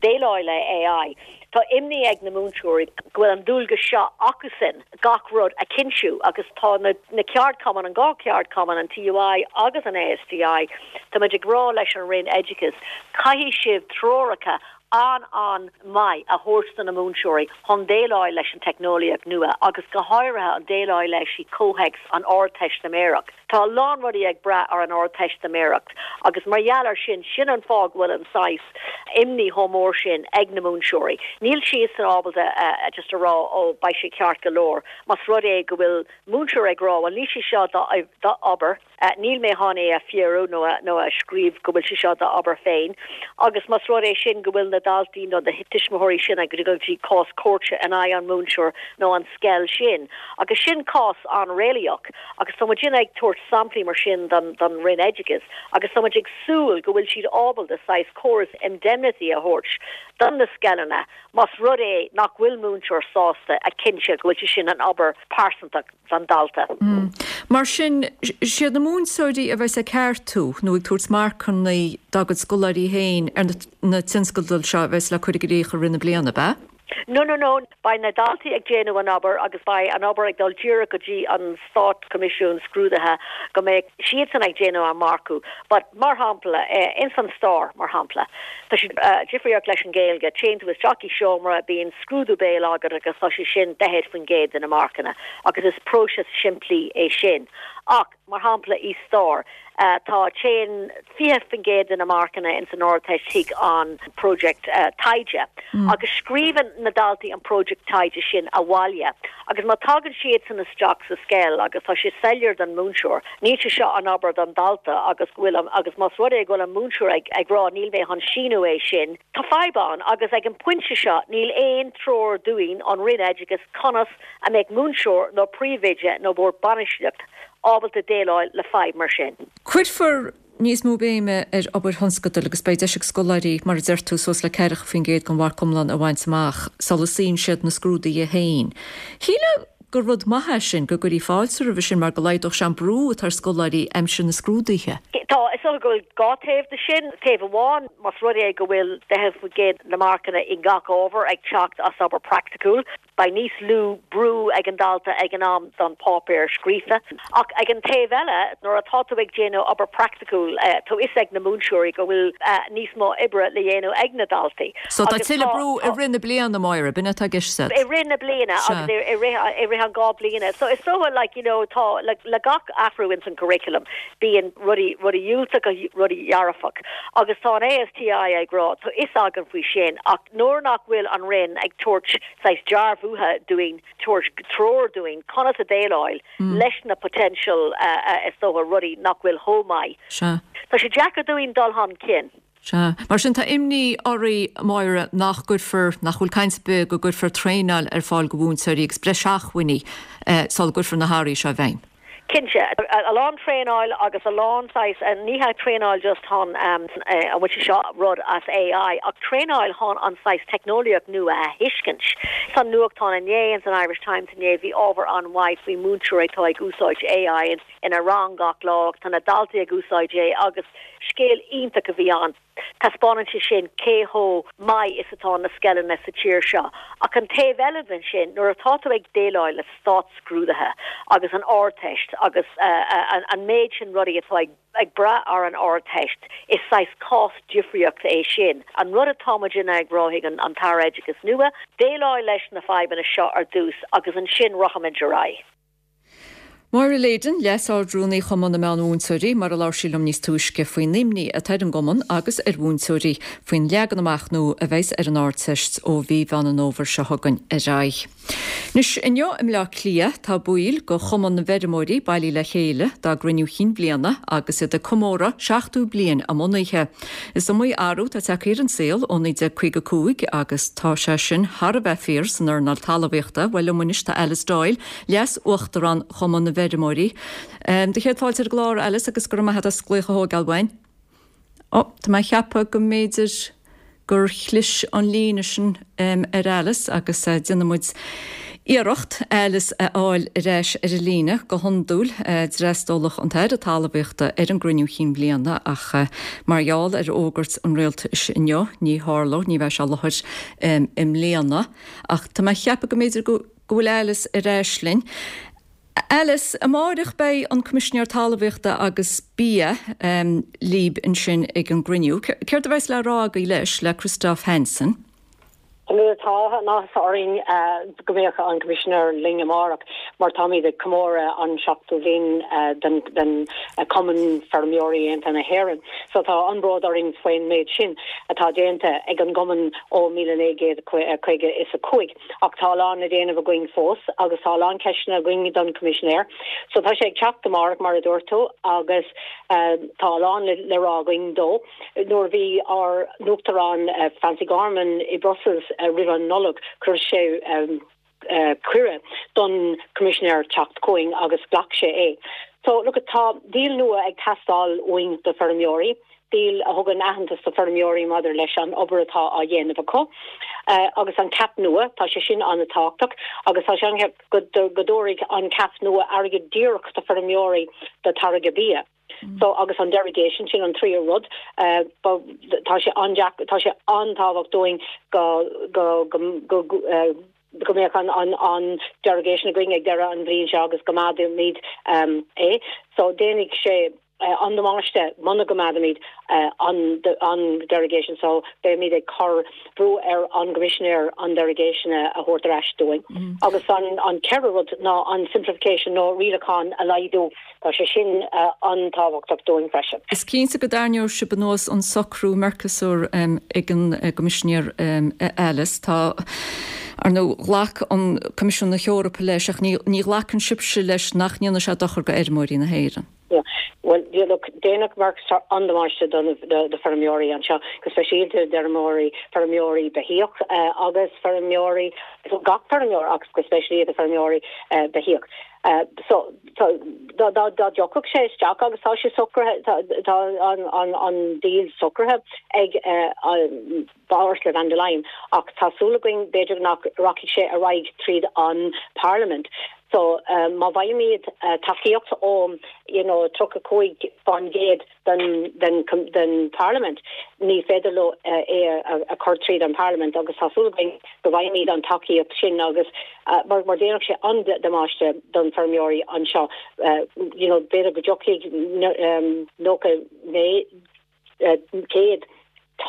déileáil le AI. Tá imní ag na múinteoirí go bhfuil an dualgas seo acusan gach rud a chinntiú agus tá na na ceardchumainn, an dhá cheardchumann, an TUI agus an ASTI, tá muid ag rá leis an Roinn Oideachais, caithfidh sibh treoracha an-an-mhaith a thabhairt do na múinteoirí chun déileáil leis an teicneolaíocht nua agus go háirithe an déileáil leis i gcomhthéacs an Ardteistiméireacht. Tá a lán rudaí ag brath ar an Ardteistiméireacht agus mar gheall ar sin, sin an fáth go bhfuil an saghas imní chomh mór sin ag na múinteoirí. Níl siadsan ábalta just a rá ó beidh sé ceart go leor más rud é go bhfuil múinteoir ag rá bhuel níl sé seo d'obair, níl mé chun é a fíorú nó a nó a scríobh go bhfuil sé seo d'obair féin agus más rud é sin go bhfuil na daltaí nó na tuismitheoirí sin ag dul go dtí cás cúirte in aghaidh an múinteoir nó an scoil sin. Agus sin cás an-réalaíoch agus tá muid ag tabhairt samplaí mar sin don don Roinn Oideachais agus tá muid ag súil go bhfuil siad ábalta saghas córas indemnity a thabhairt don na scoileanna más rud é nach bhfuil múinteoir sásta a chinntiú go bhfuil sé sin an obair pearsanta don dalta.
Mar sin, siad na múinteoirí a bheas ag ceartú nó ag tabhairt marcanna dá gcuid scoláirí féin ar na tionscadail seo a bheas le cur i gcrích i rith na bliana, ab ea?
No, no, no, beidh na daltaí ag déanamh an obair agus beidh an obair ag dul díreach go dtí an Stát Coimisiún Scrúdaithe go mbeidh siadsan ag déanamh an marcú. But mar shampla, ins an stair, mar shampla, tá sé difríocht leis an Ghaeilge, téann tú isteach i seomra, bíonn scrúdú béil agat agus tá sé sin daichead faoin gcéad de na marcanna agus is próiseas simplí é sin. Ach, mar shampla, i stair, tá téann fiche faoin gcéad de na marcanna ins an Ardteist chuig an project taighde agus scríobhann na daltaí an project taighde sin abhaile agus má tagann siadsan isteach sa scoil agus tá sé soiléir don múinteoir, níl sé seo an obair don dalta agus go bhfuil agus más rud é go bhfuil an múinteoir ag ag rá níl mé chun síniú é sin, tá fadhb ann agus ag an pointe seo níl aon treoir dúinn ón Roinn Oideachais conas a mbeadh múinteoir nó príomhoide nó bord bainistíocht ábalta déileáil le fadhb mar sin.
Cuirfear níos mó béime ar obair thionscadail agus beidh deis ag scoláirí, mar a deir tú, suas le ceathracha faoin gcéad den mharc iomlán a bhaint amach sula suíonn siad na scrúduithe féin. Shílfeá gur rud maith é sin, go gcuirfí fáilte roimhe sin mar go laghdódh sé an brú atá ar scoláirí aimsir na scrúduithe.
Tá, is dócha go bhfuil dhá taobh de sin. Taobh amháin, más rud é go bhfuil daichead faoin gcéad na marcanna i ngach ábhar ag teacht as obair praiticiúil, Beidh níos lú brú ag an dalta ag an am don páipéar scríofa. Ach ag an taobh eile, nuair atá tú ag déanamh obair praiticiúil, tá fhios ag na múinteoirí go bhfuil níos mó oibre le dhéanamh ag na daltaí.
So tá tuilleadh brú i rith na bliana, Máire, b'in atá i gceist agat?
I rith na bliana agus i rith i rith an dhá bliana. So is dócha like you know tá le le gach athrú ins an curriculum bíonn rudaí rudaí diúltach agus rudaí dearfach. Agus tá an ASTI ag rá tá fhios againn faoi sin ach nuair nach bhfuil an Roinn ag tabhairt saghas dearbhuithe dúinn, tabhairt treoir dúinn conas a déileáil leis na potential is dócha rudaí nach bhfuil chomh maith.
Sea.
Tá sé deacair dúinn dul chun cinn.
Sea. Mar sin tá imní oraibh, Máire, nach gcuirfear, nach bhfuil caint ar bith go gcuirfear traenáil ar fáil do mhúinteoirí agus breis acmhainní sula gcuirfear na hathruithe seo i bhfeidhm.
Cinnte, a lán traenáil agus a lán saghas, ní hea traenáil just chun an bhfuil sé seo rud as AI, ach traenáil chun an saghas teicneolaíocht nua a thuiscint. San nuachtán inné, ins an Irish Times inné, bhí ábhar an-mhaith faoi múinteoirí atá ag úsáid AI ina rang gach lá, tá na daltaí ag úsáid é agus scéal iontach a bhí ann. Taispeánann sé sin cé chomh maith is atá na scoileanna sa tír seo. Ach an taobh eile den sin, nuair atá tú ag déileáil le státscrúduithe agus an Ardteist agus an méid sin rudaí atá ag brath ar an Ardteist, is saghas cás difríocht é sin. An rud atá muidinne ag rá chuig an tAire Oideachais nua, déileáil leis na fadhbanna seo ar dtús agus ansin rachaimid ar aghaidh.
Máire Leyden, Leas-Ard-Rúnaí Chumann na Meán-Mhúinteoirí, mar a labhair sí liom níos túisce faoin imní atá ar an gcumann agus ar mhúinteoirí faoin leagan amach nua a bheas ar an Ardteist ó mhí Mheán an Fhómhair seo chugainn ar aghaidh. Anois, inniu i mBleá Cliath tá baill de Chumann na bhFeirmeoirí bailithe le chéile dá gcruinniú chinn bhliana agus iad ag comóradh seachtó bliain a mbunaithe. Is iomaí athrú atá tagtha ar an saol ó naoi déag caoga cúig agus tá sé sin thar a bheith fíor san earnáil talmhaíochta. Bhuel liom anois tá Alice Doyle, Leas-Uachtarán Chumann na bhFeirmeoirí. Do chéad fáilte ar an gclár, Alice, agus go raibh maith agat as glaoch a thógáil uainn. Ó, tá mé ag ceapadh go mb'fhéidir gur chlis an líne sin ar Alice agus déanfaidh muid iarracht Alice a fháil ar ais ar an líne. Go hiondúil d'fhreastalódh an tAire Talmhaíochta ar an gcruinniú chinn bhliana ach mar gheall ar fhógairt an rialtais inniu ní tharlóidh, ní bheidh sé i láthair i mbliana. Ach tá mé ag ceapadh go mb'fhéidir go bhfuil Alice ar ais linn. Alice, Amáireach beidh an Coimisinéir Talmhaíochta agus Bia libh ansin ag an gcruinniú. Céard a bheas le rá agaibh leis, le Christophe Hansen?
Tá an-áthas orainn go mbeadh an Coimisinéir linn amárach mar táimid ag comóradh an seachtó bliain den Cumann Feirmeoirí Aontaithe na hÉireann. So tá an-bhród orainn faoin méid sin atá déanta ag an gcumann ó míle naoi gcéad caoga is a cúig. Ach tá a lán le déanamh againn fós agus tá a lán ceisteanna againn don Choimisinéir. So tá sé ag teacht amárach mar a dúirt tú agus tá a lán le rá againn dó. Nuair a bhí ár n-uachtarán Francie Gorman i Brussels roimh an Nollaig chuir sé cuireadh don Choimisinéir teacht chugainn agus ghlac sé é. So look tá deal nua ag teastáil uainn do feirmeoirí. Deal a thugann aitheantas do feirmeoirí maidir leis an obair atá á dhéanamh acu. Agus an CAP nua, tá sé sin an-tábhachtach agus tá sé an go dtabharfaidh an CAP nua airgead díreach do feirmeoirí do táirgeadh bia. So agus an derogation sin an tríú rud uh, tá sé an tá sé an-tábhachtach dúinn go go go go uh, go mbeadh an an an derogation againn ag deireadh an bhliain seo agus go gcoimeádfaimid um, é so déanfaidh sé uh, an damáiste muna gcoimeádfaimid uh, an an derogation so beimid ag cur brú ar an gCoimisinéir an derogation a thabhairt ar ais dúinn mm. agus an an ceathrú rud ná an simplification nó rialacháin a laghdú tá sé sin uh, an-tábhachtach dúinn freisin.
Is cinnte go dtarraingeoidh sibh anuas an socrú Mercosur um, ag an uh, gCoimisinéir um, Alice tá Ar ndóigh ghlac an Coimisiún na hEorpa leis ach ní ní ghlacann sibhse leis nach ndéanfaidh sé dochar go fheirmeoirí na hÉireann.
Yeah. Well, yeah, look, déanfaidh Mercosur an-damáiste don do feirmeoirí anseo, go speisialta d'fheirmeoirí feirmeoirí beithíoch uh, agus feirmeoirí gach feirmeoir agus go speisialta feirmeoirí uh, beithíoch. Uh, so so dá dá dá dtiocfadh sé isteach agus tá sé socraithe tá an an an deal socraithe ag uh, Ursula von der Leyen ach tá súil againn b'fhéidir nach rachaidh sé ar aghaidh tríd an Parliament. So um, má bhfaighimid uh, tacaíocht ó you know, tríocha cúig faoin gcéad den, den, den Parliament ní féidir leo uh, é a, a chur tríd an Parliament agus tá súil againn go bhfaighimid an tacaíocht sin agus uh, mar mar déanfaidh sé an-damáiste don feirmeoirí anseo uh, you know, b'fhéidir go dtiocfaidh um, nócha naoi uh, céad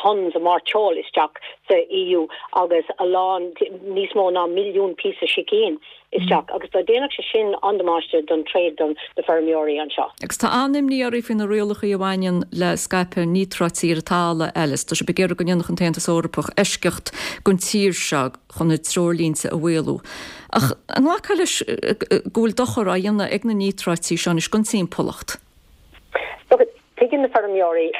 tons mairteoil isteach sa EU agus a lán níos mó ná milliún píosa sicín isteach mm. agus dá déanfaidh sé sin an-damáiste don trade don na feirmeoirí anseo.
Agus tá an-imní oraibh faoi na rialacha a bhaineann le scaipeadh níotráití ar an talamh Alice, Tá sibh ag iarraidh go ndéanfadh an tAontas Eorpach eisceacht don tír seo chun na treoirlínte a mhaolú. Ach an nglacfá leis go bhfuil dochar á dhéanamh ag na níotráití seo anois don timpeallacht.
Tuigeann na feirmeoirí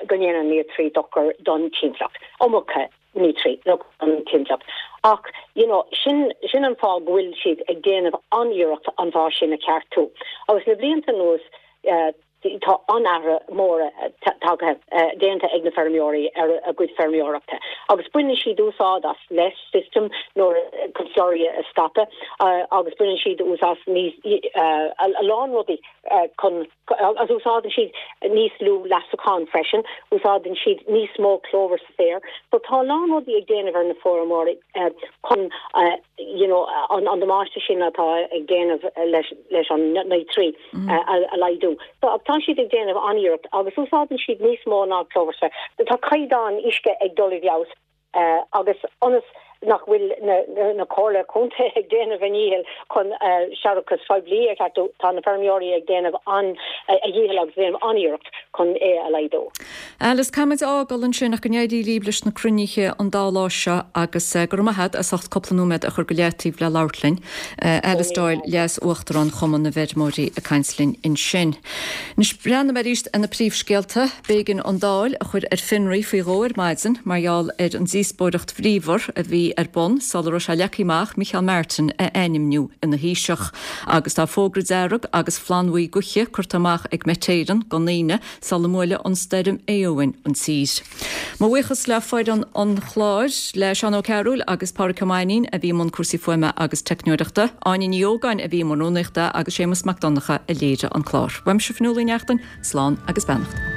go ndéanann níotráití dochar don timpeallacht. Iomarca níotráití don timpeallacht. Ach you know, sin, sin an fáth go bhfuil siad ag déanamh an-iarracht an fá sin a cheartú. Agus na blianta anuas uh, tá an-athruithe móra tagtha uh, déanta ag na feirmeoirí ar a gcuid feirmeoireachta. Agus baineann siad úsáid as less system nó chun slurry a scaipeadh uh, agus baineann siad úsáid níos uh, a lán rudaí uh, chun agus úsáideann siad níos lú leasachán freisin, úsáideann siad níos mó clover sa féar, so tá lán rudaí ag déanamh ar na feirmeoirí uh, chun uh, you know, an, an damáiste sin atá ag déanamh leis, leis an níotráití mm. uh, a, a laghdú. So, tá siad ag déanamh an-iarracht agus úsáideann siad níos mó ná clover spray. Tá caighdeán uisce ag dul i bhfeabhas uh, agus ionas nach bhfuil na, na, na comhairle contae ag déanamh a ndícheall chun uh, séarachas poiblí a cheartú tá na feirmeoirí ag déanamh an uh, a ndícheall agus déanamh an-iarracht chun é a laghdú.
Alice caithfimid a fhágáil ansin ach go n-éirí libh leis na cruinnithe an dá lá seo agus uh, go raibh maith agat as ucht cúpla nóiméad a chur go leataobh le labhairt linn. Uh, Alice Doyle Leas-Uachtarán Chumann na bhFeirmeoirí ag caint linn ansin. Anois breathnóimid arís ar na príomhscéalta b'éigean an Dáil a chur ar fionraí faoi dhó ar maidin mar gheall ar an díospóireacht bhríomhar a bhí ar bun sula raibh sé leagtha amach Micheál Martin a ainmniú ina Thaoiseach agus tá fógra dearg agus flannbhuí gaoithe curtha amach ag Met Éireann don Aoine sula mbuailfidh an stoirm Éowyn an tír. Mo bhuíochas le foireann an chláir le Seán Ó Cearúil agus Pádraig Ó Mainnín a bhí i mbun cúrsaí fuaime agus teicneoireachta, Áine Ní Ógáin a bhí i mbun rúnaíochta agus Séamus Mac Donncha a léirigh an clár. Uaimse Fionnuala Ní Neachtain, slán agus beannacht.